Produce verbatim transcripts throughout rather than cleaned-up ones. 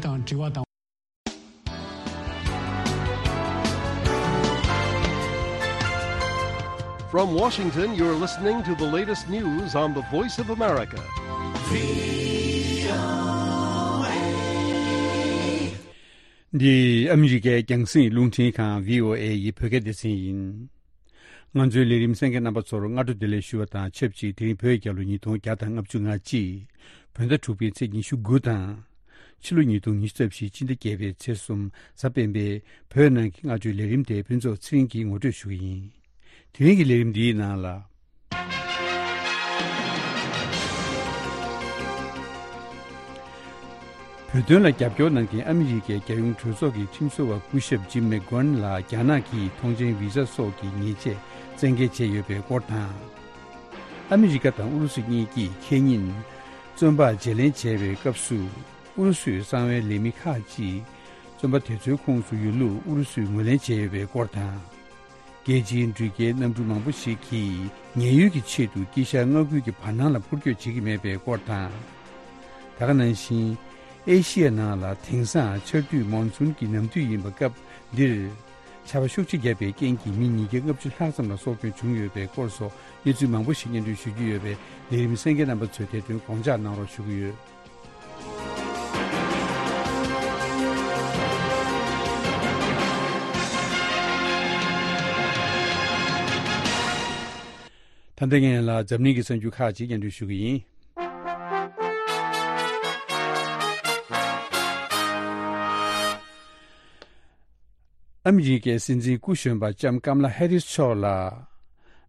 དང་དྲི་བ་དང་། From Washington, you're listening to the latest news on the Voice of America. འདི་ཨ་མི་རི་ཀའི་རྒྱང་སྲིང་རླུང་འཕྲིན་ཁང་བྷི་ཨོ་ཨེ་ཡི་བོད་སྐད་སྡེ་ཚན་ཡིན། ང་ཚོའི་ལས་རིམ་གསན་མཁན་རྣམ་པ་ཚོར་སྔ་དྲོ་བདེ་ལེགས་ཞུ་བ་དང་ཆབས་ཅིག་དེ་རིང་བོད་རྒྱལ་ལོ་ཉིས་སྟོང་བརྒྱ་དང་ལྔ་བཅུ་ང་གཅིག་བོད་ཟླ་དྲུག་པའི་ཚེས་ཉི་ཤུ་དགུ་དང་། ཕྱི་ལོ་ཉིས་སྟོང་ཉི་ཤུ་རྩ་བཞི་སྤྱི་ཟླ་བརྒྱད་པའི་ཚེས་གསུམ་གཟའ་སྤེན་པའི་བོད་ནང་གི་སྔ་དྲོའི་ལས་རིམ་དེ་ཕུན་ཚོགས་ཚེ་རིང་གིས་ངོ་སྤྲོད་ཞུ་གི་ཡིན། དེ་རིང་གི་ལས་རིམ་འདིའི་ནང་ལ། བོད་དོན་ལ་རྒྱབ་སྐྱོར་གནང་མཁན་ཨ་མི་རི་ཀའི་རྒྱལ་ཡོངས་གྲོས་ཚོགས་ཀྱི་ཁྲིམས་བཟོ་བ་སྐུ་ཞབས་ཇིམ་མེག་གྷོན་ལ་རྒྱ་ནག་གིས་ཐོངས་མཆན་བི་ཟ་སོགས་ཀྱི་ཉེས་ཆད་བཙན་འགེལ་བྱས་ཡོད་པའི་སྐོར་དང་། ཨ་མི་རི་ཀ་དང་ཨུ་རུ་སུ་གཉིས་ཀྱིས་ཁེ་ཉིན་བཙོན་པ་བརྗེ་ལེན་བྱས་པའི་སྐབས་སུ། ཨུ་རུ་སུས་གསང་བའི་ལས་མི་ཁག་ཅིག་བཙོན་པ་དེ་ཚོའི་ཁོངས་སུ་ཡོད་ལུགས་ཨུ་རུ་སུས་ངོས་ལེན་བྱས་ཡོད་པའི་སྐོར་དང་། རྒྱལ་སྤྱིའི་འགྲུལ་སྐྱེལ་གནམ་གྲུ་མང་པོ་ཞིག་གིས་ཉེན་གཡོལ་གྱི་ཆེད་དུ་དཀྱིལ་ཤར་མངའ་ཁུལ་གྱི་བར་སྣང་ལ་འཕུར་སྐྱོད་བྱེད་ཀྱི་མེད་པའི་སྐོར་དང་། ད་ག་ནང་བཞིན། ཨེ་ཤི་ཡའི་ནང་ལ་དེང་སང་ཆར་དུས་མོན་སུན་གྱི་ནམ་དུས་ཡིན་པ་སྐབས་འདིར། ཆར་པ་ཤུགས་ཆེ་བརྒྱབ་པའི་རྐྱེན་གྱིས་མི་ཉིས་བརྒྱ་ལྔ་བཅུ་ལྷག་ཙམ་ལ་སྲོག་སྐྱོན་བྱུང་ཡོད་པའི་སྐོར་སོགས་གནས་ཚུལ་མང་པོ་ཞིག་སྙན་སྒྲོན་ཞུ་རྒྱུ་ཡོད་པས་ལས་རིམ་གསན་མཁན་རྣམ་པ་ཚོས་དེ་དོན་དགོངས་འཇགས་གནང་རོགས་ཞུ་གི་ཡོད། ད་ལྟ་ངས་ལ་འཛམ་གླིང་གི་གསར་འགྱུར་ཁག་ཅིག་སྙན་སྒྲོན་ཞུ་གི་ཡིན། ཨ་མི་རི་ཀའི་སྲིད་འཛིན་སྐུ་གཞོན་པ་ལྕམ་ཀམ་ལ་ཧེ་རིས་མཆོག་ལ།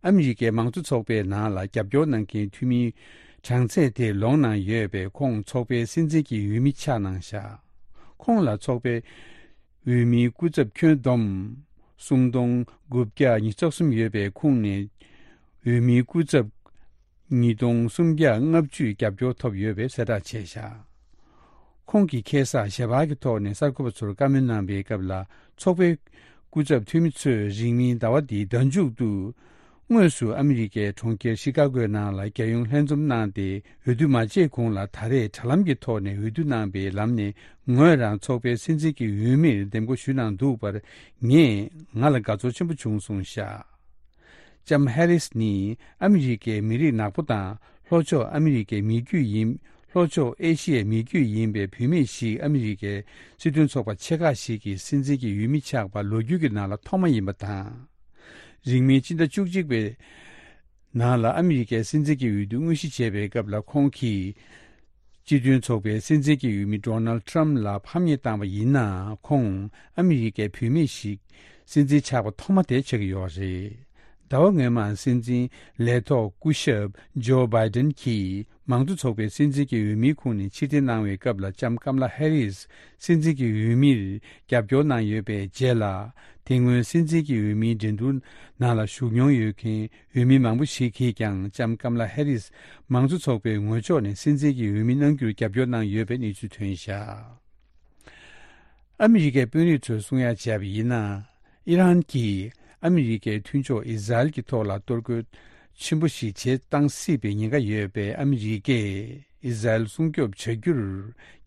ཨ་མི་རི་ཀའི་མང་གཙོ་ཚོགས་པའི་ནང་ལ་རྒྱབ་སྐྱོར་གནང་མཁན་འཐུས་མིའི་གྲངས་ཚད་དེ་ལོངས་གནང་ཡོད་པས་ཁོང་ཚོགས་པའི་སྲིད་འཛིན་གྱི་འོས་མི་ཆགས་གནང་བཞག་ཁོང་ལ་ཚོགས་པའི་འོས་མིའི་སྐུ་ཚབ་ཁྱོན་བསྡོམས་སུམ་སྟོང་དགུ་བརྒྱ་ཉི་ཤུ་རྩ་གསུམ་ཡོད་པའི་ཁོངས་ནས་འོས་མིའི་སྐུ་ཚབ་ཉིས་སྟོང་སུམ་བརྒྱ་ལྔ་བཅུས་རྒྱབ་སྐྱོར་ཐོབ་ཡོད་པའི་གསལ་བསྒྲགས་བྱས་བཞག་ཁོང་གིས་ཁ་སང་ཞལ་པར་གྱི་ཐོག་ནས་གསར་འགོད་པ་ཚོར་བཀའ་མོལ་གནང་པའི་སྐབས་ལ་ཚོགས་པའི་སྐུ་ཚབ་འཐུས་མི་ཚོས་རིང་མིན་ཟླ་བ་འདིའི་ཟླ་མཇུག་ཏུ། དངོས་སུ་ཨ་མི་རི་ཀའི་གྲོང་ཁྱེར་ཤི་ཀ་གོའི་ནང་ལ་རྒྱལ་ཡོངས་ལྷན་འཛོམས་གནང་སྟེ་འོས་བསྡུ་མ་བྱས་གོང་ལ་ད་རེས་དྲ་ལམ་གྱི་ཐོག་ནས་འོས་བསྡུ་གནང་པའི་ལམ་ནས་ངོས་རང་ཚོགས་པའི་སྲིད་འཛིན་གྱི་འོས་མིར་འདེམས་བསྐོ་ཞུས་གནང་འདུག་པར་ངས་ང་ལ་དགའ་ཚོར་ཆེན་པོ་བྱུང་སོང་ཤག་ལྕམ་ཧེ་རིས་ནི་ཨ་མི་རི་ཀའི་མི་རིགས་ནག་པོ་དང་ལྷོ་ཕྱོགས་ཨ་མི་རི་ཀའི་མི་རྒྱུད་ཡིན། ལྷོ་ཕྱོགས་ཨེ་ཤི་ཡའི་མི་རྒྱུད་ཡིན་པའི་བུད་མེད་ཞིག་ཨ་མི་རི་ཀའི་སྲིད་དོན་ཚོགས་པ་ཆེ་ཁག་ཞིག་གི་སྲིད་འཛིན་གྱི་འོས་མི་ཆགས་པ་ལོ་རྒྱུས་ཀྱི་ནང་ལ་ཐོག་མ་ཡིན་པ་དང་། རིང་མིན་སྤྱི་ཟླ་བཅུ་གཅིག་པའི་ནང་ལ་ཨ་མི་རི་ཀའི་སྲིད་འཛིན་གྱི་འོས་བསྡུ་དངོས་གཞི་བྱས་པའི་སྐབས་ལ་ཁོང་གིས། སྤྱི་མཐུན་ཚོགས་པའི་སྲིད་འཛིན་གྱི་འོས་མི་ཌོ་ནལ་ཌི་ཊྲམ་ཕ་ལ་ཕམ་ཉེས་བཏང་བ་ཡིན་ནའང་ཁོང་ཨ་མི་རི་ཀའི་བུད་མེད་ཞིག་སྲིད་འཛིན་ཆགས་པ་ཐོག་མ་དེ་ཆགས་ཀྱི་ཡོད་རེད། ཟླ་བ་སྔོན་མ་སྲིད་འཛིན་ལས་ཐོག་སྐུ་ཞབས་ཇོ་བྷའི་ཌེན་གྱིས་མང་གཙོ་ཚོགས་པའི་སྲིད་འཛིན་གྱི་འོས་མིའི་ཁོངས་ནས་ཕྱིར་འཐེན་གནང་བའི་སྐབས་ལ་ལྕམ་ཀམ་ལ་ཧེ་རིས་སྲིད་འཛིན་གྱི་འོས་མིར་རྒྱབ་སྐྱོར་གནང་ཡོད་པའི་རྗེས་ལ། དེ་སྔོན་སྲིད་འཛིན་གྱི་འོས་མིའི་འགྲན་བསྡུར་ནང་ལ་ཞུགས་མྱོང་ཡོད་མཁན། འོས་མི་མང་པོ་ཞིག་གིས་ཀྱང་ལྕམ་ཀམ་ལ་ཧེ་རིས་མང་གཙོ་ཚོགས་པའི་ངོས་ཕྱོགས་ནས་སྲིད་འཛིན་གྱི་འོས་མི་གནང་རྒྱུར་རྒྱབ་སྐྱོར་གནང་ཡོད་པའི་གནས་ཚུལ་ཐོན་བཞག་ཨ་མི་རི་ཀའི་དཔོན་རིགས་ཚོས་གསུང་ཡ་བྱས་པ་ཡིན་ན། ཨི་རན་གྱིས་ཨ་མི་རི་ཀའི་མཐུན་ཕྱོགས་ཨི་ཟ་རེལ་གྱི་ཐོག་ལ་གཏོར་རྒོལ་ཆེན་པོ་ཞིག་བྱེད་བཏང་སྲིད་པའི་ཉེན་ཁ་ཡོད་པས་ཨ་མི་རི་ཀས་ཨི་ཟ་རེལ་སྲུང་སྐྱོབ་བྱ་རྒྱུར།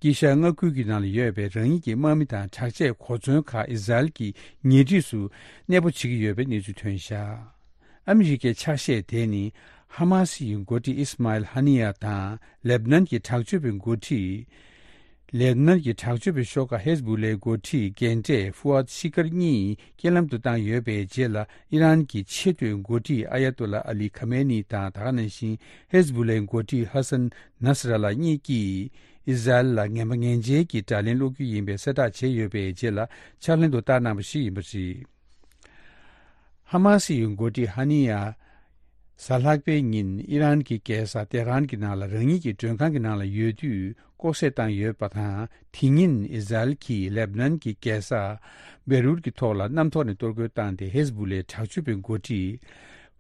དཀྱིལ་ཤར་མངའ་ཁུལ་གྱི་ནང་ལ་ཡོད་པའི་རང་ཉིད་ཀྱི་དམག་མི་དང་དྲག་ཆས་གོ་མཚོན་ཁག་ཨི་ཟ་རེལ་གྱི་ཉེ་འཁྲིས་སུ་གནས་སྤོ་བྱེད་ཀྱི་ཡོད་པའི་གནས་ཚུལ་ཐོན་བཞག་ཨ་མི་རི་ཀའི་ཕྱག་བཞེས་དེ་ནི་ཧ་མ་སི་ཡི་འགོ་ཁྲིད་ཨིས་མཱ་ཨེལ་ཧ་ནི་ཡ་དང་ལེབ་ནན་གྱི་དྲག་སྤྱོད་པའི་འགོ་ཁྲིད། ལེབ་ནན་གྱི་དྲག་སྤྱོད་པའི་ཤོག་ཁག་ཧེ་ཟ་བུ་ལའི་འགོ་ཁྲིད་རྒན་གྲས་ཧྥུ་ཨད་ཤི་ཀར་གཉིས་རྐྱེན་ལམ་དུ་བཏང་ཡོད་པའི་རྗེས་ལ་ཨི་རན་གྱི་ཆེས་མཐོའི་འགོ་ཁྲིད་ཨ་ཡ་ཏོ་ལ་ཨ་ལི་ཁ་མེ་ནི་དང་ད་ག་ནང་བཞིན་ཧེ་ཟ་བུ་ལའི་འགོ་ཁྲིད་ཧ་སན་ནཱ་སི་ར་ལ་གཉིས་ཀྱིས་ཨི་ཟ་རེལ་ལ་ངན་པ་ངན་འཇལ་གྱི་དགྲ་ལན་སློག་རྒྱུ་ཡིན་པའི་གསལ་བསྒྲགས་བྱས་ཡོད་པའི་རྗེས་ལ་ཕྱག་ལེན་དུ་བསྟར་གནང་བ་ཞིག་ཡིན་པ་རེད། ཧ་མ་སི་ཡི་འགོ་ཁྲིད་ཧ་ནི་ཡ། གཟའ་ལྷག་པའི་ཉིན་ཨི་རན་གྱི་རྒྱལ་ས་ཏེ་ཧ་རན་གྱི་ནང་ལ་རང་ཉིད་ཀྱི་མགྲོན་ཁང་གི་ནང་ལ་ཡོད་དུས་ལྐོག་བསད་བཏང་ཡོད་པ་དང་དེ་ཉིན་ཨི་ཟ་རེལ་གྱིས་ལེབ་ནན་གྱི་རྒྱལ་ས་བེ་རུད་ཀྱི་ཐོག་ལ་གནམ་ཐོག་ནས་གཏོར་རྒོལ་བཏང་སྟེ་ཧེ་ཟ་བུ་ལའི་དྲག་སྤྱོད་པའི་འགོ་ཁྲིད་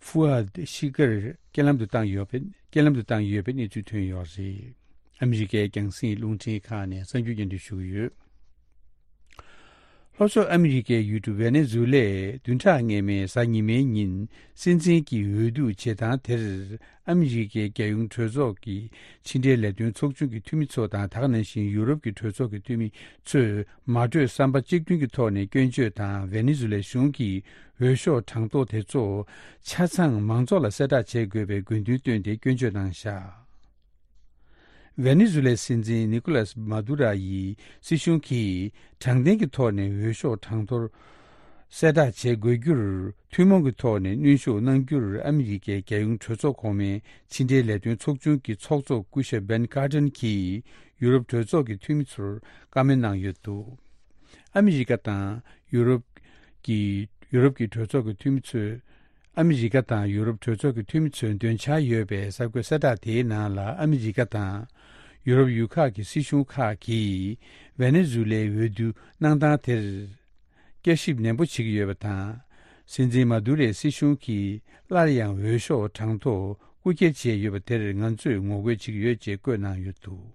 ཧྥུ་ཨད་ཤི་ཀར་རྐྱེན་ལམ་དུ་བཏང་ཡོད་པའི་རྐྱེན་ལམ་དུ་བཏང་ཡོད་པའི་གནས་ཚུལ་ཐོན་ཡོད་རེད། ཨ་མི་རི་ཀའི་རྒྱང་སྲིང་རླུང་འཕྲིན་ཁང་ནས་གསར་འགྱུར་སྙན་སྒྲོན་ཞུ་གི་ཡོད། ལྷོ་ཕྱོགས་ཨ་མི་རི་ཀའི་ཡུལ་གྲུ་ཝེ་ནེ་ཛུ་ལའི་བདུན་ཕྲག་སྔོན་མའི་གཟའ་ཉི་མའི་ཉིན་སྲིད་འཛིན་གྱི་འོས་བསྡུ་བྱེད་སྟངས་དེར། ཨ་མི་རི་ཀའི་རྒྱལ་ཡོངས་གྲོས་ཚོགས་ཀྱི་ཕྱི་འབྲེལ་ལས་དོན་ཚོགས་ཆུང་གི་འཐུས་མི་ཚོ་དང་། ད་ག་ནང་བཞིན་ཡུ་རོབ་ཀྱི་གྲོས་ཚོགས་ཀྱི་འཐུས་མི་ཚོས་མ་གྲོས་བསམ་པ་གཅིག་མཐུན་གྱི་ཐོག་ནས་སྐྱོན་བརྗོད་དང་། ཝེ་ནེ་ཛུ་ལའི་གཞུང་གི་འོས་ཤོག་གྲངས་ཐོ་དེ་ཚོ་ཆ་ཚང་མང་ཚོགས་ལ་གསལ་བསྒྲགས་བྱེད་དགོས་པའི་དགོས་འདུན་བཏོན་ཏེ་སྐྱོན་བརྗོད་གནང་བཞག་ཝེ་ནེ་ཛུ་ལའི་སྲིད་འཛིན་ནི་ཀོ་ལཱས་མཱ་དུ་ར་ཡི་སྲིད་གཞུང་གིས་དྲང་བདེན་གྱི་ཐོག་ནས་འོས་ཤོག་གྲངས་ཐོར་གསལ་བསྒྲགས་བྱེད་དགོས་རྒྱུར། ཐུན་མོང་གི་ཐོག་ནས་གནོན་ཤུགས་གནང་རྒྱུར། ཨ་མི་རི་ཀའི་རྒྱལ་ཡོངས་གྲོས་ཚོགས་གོང་མའི་ཕྱི་འབྲེལ་ལས་དོན་ཚོགས་ཆུང་གི་ཚོགས་གཙོ་སྐུ་ཞབས་བྷེན་ཀར་ཏན་གྱིས་ཡུ་རོབ་གྲོས་ཚོགས་ཀྱི་འཐུས་མི་ཚོར་བཀའ་མོལ་གནང་ཡོད་འདུག་ཨ་མི་རི་ཀ་དང་ཡུ་རོབ་ཀྱི་ཡུ་རོབ་ཀྱི་གྲོས་ཚོགས་ཀྱི་འཐུས་མི་ཚོས། ཨ་མི་རི་ཀ་དང་ཡུ་རོབ་གྲོས་ཚོགས་ཀྱི་འཐུས་མི་ཚོས་འདོན་འཆར་ཡོད་པའི་གསར་འགོད་གསལ་བསྒྲགས་དེའི་ནང་ལ། ཨ་མི་རི་ཀ་དང་ཡུ་རོབ་ཡུལ་ཁག་གི་སྲིད་གཞུང་ཁག་གིས་ཝེ་ནེ་ཛུ་ལའི་འོས་བསྡུ་གནང་སྟངས་དེར་བསྐྱར་ཞིབ་ནན་པོ་བྱེད་ཀྱི་ཡོད་པ་དང་། སྲིད་འཛིན་མ་དུ་རའི་སྲིད་གཞུང་གིས་སླར་ཡང་འོས་ཤོག་གྲངས་ཐོ་རྐུ་འཁྱེར་བྱས་ཡོད་པ་དེར་ང་ཚོས་ངོ་རྒོལ་བྱེད་ཀྱི་ཡོད་ཅེས་བཀོད་གནང་ཡོད་འདུག་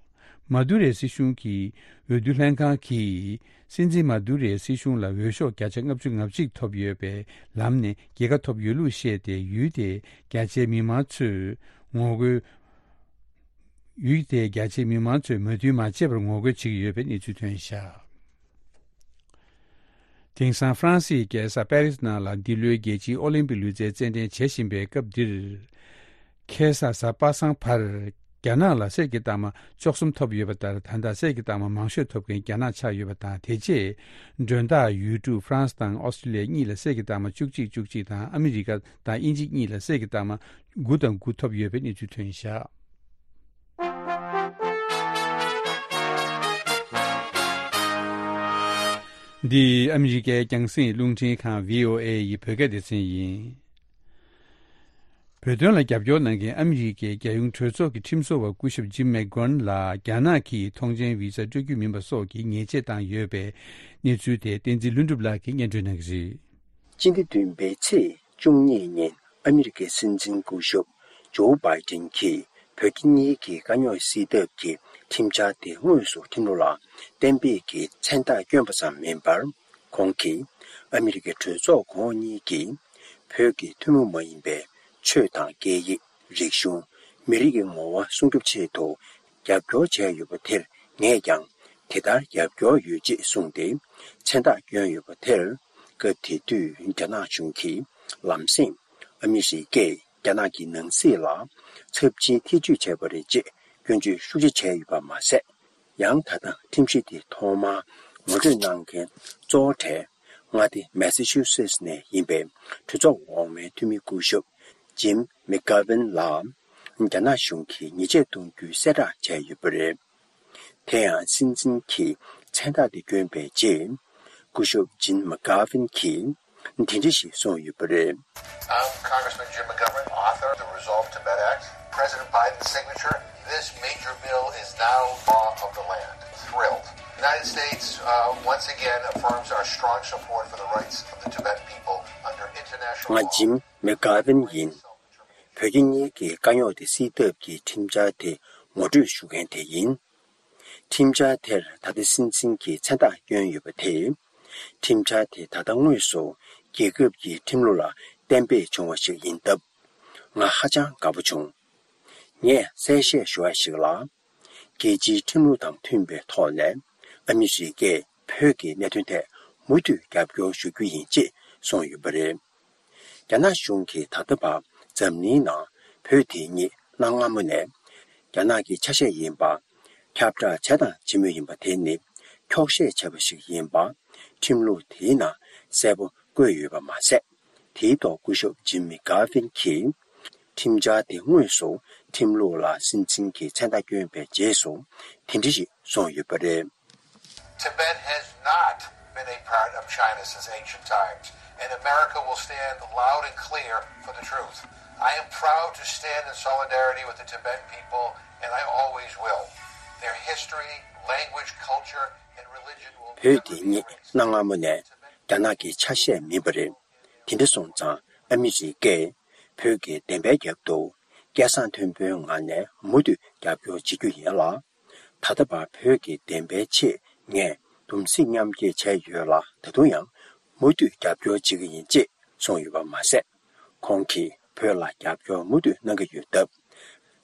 མ་དུ་རའི་སྲིད་གཞུང་གི་འོས་བསྡུ་ལྷན་ཁང་གིས། སྲིད་འཛིན་མ་དུ་རའི་སྲིད་གཞུང་ལ་འོས་ཤོག་བརྒྱ་ཆ་ལྔ་བཅུ་ང་གཅིག་ཐོབ་ཡོད་པའི་ལམ་ནས་རྒྱལ་ཁ་ཐོབ་ཡོད་ལུགས་བཤད་དེ། ཡུལ་དེའི་རྒྱ་ཆེའི་མི་མང་ཚོས་ངོ་རྒོལ། ཡུལ་དེའི་རྒྱ་ཆེའི་མི་མང་ཚོས་མོས་མཐུན་མ་བྱས་པར་ངོ་རྒོལ་བྱེད་ཀྱི་ཡོད་པའི་གནས་ཚུལ་ཐོན་བཞག་དེང་སང་ཧྥ་རན་སིའི་རྒྱལ་ས་པེ་རིས་ནང་ལ་འདི་ལོའི་རྒྱལ་སྤྱིའི་ཨོ་ལིམ་པིག་ལུས་རྩལ་རྩེད་འགྲན་བྱེད་བཞིན་པའི་སྐབས་འདིར། ཁ་སང་གཟའ་པ་སངས་བར། རྒྱ་ནག་ལ་གསེར་གྱི་རྟགས་མ་བཅུ་གསུམ་ཐོབ་ཡོད་པ་ལྟར། ད་ལྟ་གསེར་གྱི་རྟགས་མ་མང་ཤོས་ཐོབ་མཁན་རྒྱ་ནག་ཆགས་ཡོད་པ་དང་། དེ་རྗེས་མགྲོན་བདག་ཡུལ་གྲུ་ཧྥ་རན་སི་དང་ཨོ་སི་ཀྲི་ལི་ཡ་གཉིས་ལ་གསེར་གྱི་རྟགས་མ་བཅུ་གཅིག་བཅུ་གཅིག་དང་། ཨ་མི་རི་ཀ་དང་དབྱིན་ཇི་གཉིས་ལ་གསེར་གྱི་རྟགས་མ་དགུ་དང་དགུ་ཐོབ་ཡོད་པའི་གནས་ཚུལ་ཐོན་བཞག་འདི་ཨ་མི་རི་ཀའི་རྒྱང་སྲིང་རླུང་འཕྲིན་ཁང་བྷི་ཨོ་ཨེ་ཡི་བོད་སྐད་སྡེ་ཚན་ཡིན། བོད་དོན་ལ་རྒྱབ་སྐྱོར་གནང་མཁན་ཨ་མི་རི་ཀའི་རྒྱལ་ཡོངས་གྲོས་ཚོགས་ཀྱི་ཁྲིམས་བཟོ་བ་སྐུ་ཞབས་ཇིམ་མེག་གྷོན་ལ་རྒྱ་ནག་གིས་ཐོངས་མཆན་བི་ཟ་སྤྲོད་རྒྱུ་མིན་པ་སོགས་ཀྱི་ཉེས་ཆད་བཏང་ཡོད་པའི་གནས་ཚུལ་དེ་བསྟན་འཛིན་ལྷུན་གྲུབ་ལགས་ཀྱིས་སྙན་སྒྲོན་གནང་གི་རེད། སྤྱི་ཟླ་བདུན་པའི་ཚེས་བཅུ་གཉིས་ཉིན་ཨ་མི་རི་ཀའི་སྲིད་འཛིན་སྐུ་ཞབས་ཇོ་བྷའི་ཏིན་གྱིས་བོད་རྒྱ་གཉིས་ཀྱི་དཀའ་རྙོག་སེལ་ཐབས་ཀྱི་ཁྲིམས་འཆར་དེ་དངོས་སུ་ཁྲིམས་ལུགས་ལ་གཏན་འབེབས་ཀྱི་མཚན་རྟགས་བསྐྱོན་པ་ཙམ་མིན་པར། ཁོང་གིས་ཨ་མི་རི་ཀའི་གྲོས་ཚོགས་གོང་འོག་གཉིས་ཀྱིས་བོད་ཀྱི་ཐུན་མོང་མ་ཡིན་པའི་ཆོས་དང་སྐད་ཡིག་རིག་གཞུང་། མི་རིགས་ཀྱི་ངོ་བོ་སྲུང་སྐྱོབ་ཆེད་དུ་རྒྱབ་སྐྱོར་བྱས་ཡོད་པ་དེར་ངས་ཀྱང་དེ་ལྟར་རྒྱབ་སྐྱོར་ཡོད་ཅེས་གསུངས་ཏེ། མཚན་རྟགས་བསྐྱོན་ཡོད་པ་དེར་སྐབས་དེ་དུས་རྒྱ་ནག་གཞུང་གིས་ལམ་སེང་ཨ་མི་རི་ཀས་རྒྱ་ནག་གི་ནང་སྲིད་ལ་ཚབས་ཆེའི་ཐེ་ཇུས་བྱས་པ་རེད་ཅེས་སྐྱོན་བརྗོད་ཤུགས་ཆེ་བྱས་ཡོད་པ་མ་ཟད། ཡང་ད་ལྟ་ཁྲིམས་གཞི་དེ་ཐོག་མར་ངོ་སྤྲོད་གནང་མཁན་གཙོ་བོ་གྲས་མངའ་སྡེ་མེ་སི་ཆུ་སེ་ཊི་ནས་ཡིན་པའི་གྲོས་ཚོགས་འོག་མའི་འཐུས་མི་སྐུ་ཞབས་ཇིམ་མེག་གྷ་ཝིན་ལ་རྒྱ་ནག་གཞུང་གིས་ཉེས་ཆད་གཏོང་རྒྱུའི་གསལ་བསྒྲགས་བྱས་ཡོད་པ་རེད། དེ་ཡང་སྲིད་འཛིན་གྱིས་མཚན་རྟགས་དེ་བསྐྱོན་པའི་རྗེས། སྐུ་ཞབས་ཇིན་མ་ཀར་ཝིན་གྱིས་དེ་འདྲ་ཞིག་གསུངས་ཡོད་པ་རེད། Um, Congressman Jim McGovern, author of the Resolve Tibet Act, President Biden's signature, this major bill is now law of the land. Thrilled. The United States, uh, once again affirms our strong support for the rights of the Tibetan people under international law. ང་ཇིམ་མེག་གྷ་ཝིན་ཡིན། བོད་རྒྱ་གཉིས་ཀྱི་དཀའ་རྙོག་དེ་སེལ་ཐབས་ཀྱི་ཁྲིམས་འཆར་དེ་ངོ་སྤྲོད་ཞུ་མཁན་དེ་ཡིན། ཁྲིམས་འཆར་དེར་ད་ལྟ་སྲིད་འཛིན་གྱིས་མཚན་རྟགས་བསྐྱོན་ཡོད་པ་དེས། ཁྲིམས་འཆར་དེ་ད་ལྟ་དངོས་སུ་རྒྱལ་ཁབ་ཀྱི་ཁྲིམས་ལུགས་ལ་གཏན་འབེབས་བྱུང་བ་ཞིག་ཡིན་སྟབས། ང་ཧ་ཅང་དགའ་པོ་བྱུང་། ངས་གསལ་བཤད་ཞུ་བ་ཞིག་ལ། རྒྱལ་སྤྱིའི་ཁྲིམས་ལུགས་དང་མཐུན་པའི་ཐོག་ནས་ཨ་མི་རི་ཀས་བོད་ཀྱི་གནད་དོན་ཐད་མུ་མཐུད་རྒྱབ་སྐྱོར་ཞུ་རྒྱུ་ཡིན་ཅེས་གསུངས་ཡོད་པ་རེད། རྒྱ་ནག་གཞུང་གིས་ད་ལྟ་བར་འཛམ་གླིང་ནང་བོད་དེ་ཉིད་གནའ་སྔ་མོ་ནས་རྒྱ་ནག་གི་ཆ་ཤས་ཡིན་པ། ཁྱབ་བསྒྲགས་བྱས་དང་བྱེད་མུས་ཡིན་པ་དེ་ནི་འཁྱོག་བཤད་བྱས་པ་ཞིག་ཡིན་པ། ཁྲིམས་ལུགས་དེའི་ནང་གསལ་པོ་བཀོད་ཡོད་པ་མ་ཟད། དེའི་ཐོག་སྐུ་ཞབས་ཇིམ་མི་གྷ་ཝིན་གྱིས་ཁྲིམས་འཆར་དེ་དངོས་སུ་ཁྲིམས་ལུགས་ལ་སྲིད་འཛིན་གྱིས་མཚན་རྟགས་བསྐྱོན་པའི་རྗེས་སུ་དེ་འདྲ་ཞིག་གསུངས་ཡོད་པ་རེད། Tibet has not been a part of China since ancient times, and America will stand loud and clear for the truth. I am proud to stand in solidarity with the Tibetan people, and I always will. Their history, language, culture, and religion will never be erased. བོད་འདི་ཉིད་གནའ་སྔ་མོ་ནས་རྒྱ་ནག་གི་ཆ་ཤས་མིན་པ་རེད། དེ་འདྲ་སོང་ཙང་ཨ་མི་རི་ཀས་བོད་ཀྱི་བདེན་པའི་རྒྱབ་ཏུ་སྐད་གསང་མཐོན་པོའི་ངང་ནས་མུ་མཐུད་རྒྱབ་སྐྱོར་བྱེད་རྒྱུ་ཡིན་ལ། ད་ལྟ་བར་བོད་ཀྱི་བདེན་པའི་ཆེད་ངས་ སྡོམ་རྩིས་མཉམ་སྐྱེད་བྱས་ཡོད་ལ། ད་དུང་ཡང་མུ་མཐུད་རྒྱབ་སྐྱོར་བྱེད་ཀྱི་ཡིན་ཅེས་གསུངས་ཡོད་པ་མ་ཟད། ཁོང་གིས་བོད་ལ་རྒྱབ་སྐྱོར་མུ་མཐུད་གནང་གི་ཡོད་སྟབས།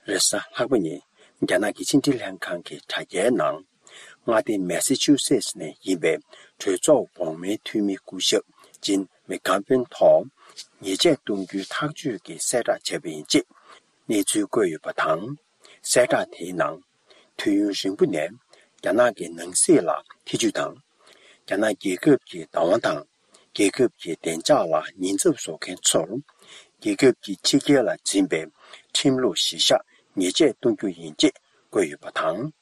རེས་གཟའ་ལྷག་པ་ཉིན་རྒྱ་ནག་གི་ཕྱི་འབྲེལ་ལྷན་ཁང་གི་དྲ་རྒྱའི་ནང་། མངའ་སྡེ་མེ་ས་ཆུ་སེ་ཊི་ནས་ཡིན་པའི་གྲོས་ཚོགས་འོག་མའི་འཐུས་མི་སྐུ་ཞབས་ཇིན་མེ་གྷ་ཝིན་ཐོག་ཉེས་ཆད་གཏོང་རྒྱུའི་ཐག་གཅོད་ཀྱི་གསལ་བསྒྲགས་བྱས་པ་ཡིན་ཅེས་གནས་ཚུལ་བཀོད་ཡོད་པ་དང་། གསལ་བསྒྲགས་དེའི་ནང་། དུས་ཡུན་རིང་པོ་ནས་རྒྱ་ནག་གི་ནང་སྲིད་ལ་ཐེ་ཇུས་དང་། རྒྱ་ནག་རྒྱལ་ཁབ་ཀྱི་བདག་དབང་དང་། རྒྱལ་ཁབ་ཀྱི་བདེ་འཇགས་ལ་ཉེན་ཚབས་བཟོ་མཁན་ཚོར། རྒྱལ་ཁབ་ཀྱི་ཕྱི་རྒྱལ་ལ་འཛིན་པའི་ཁྲིམས་ལུགས་གཞིར་བཞག་ཉེས་ཆད་གཏོང་རྒྱུ་ཡིན་ཅེས་བཀོད་ཡོད་པ་དང་།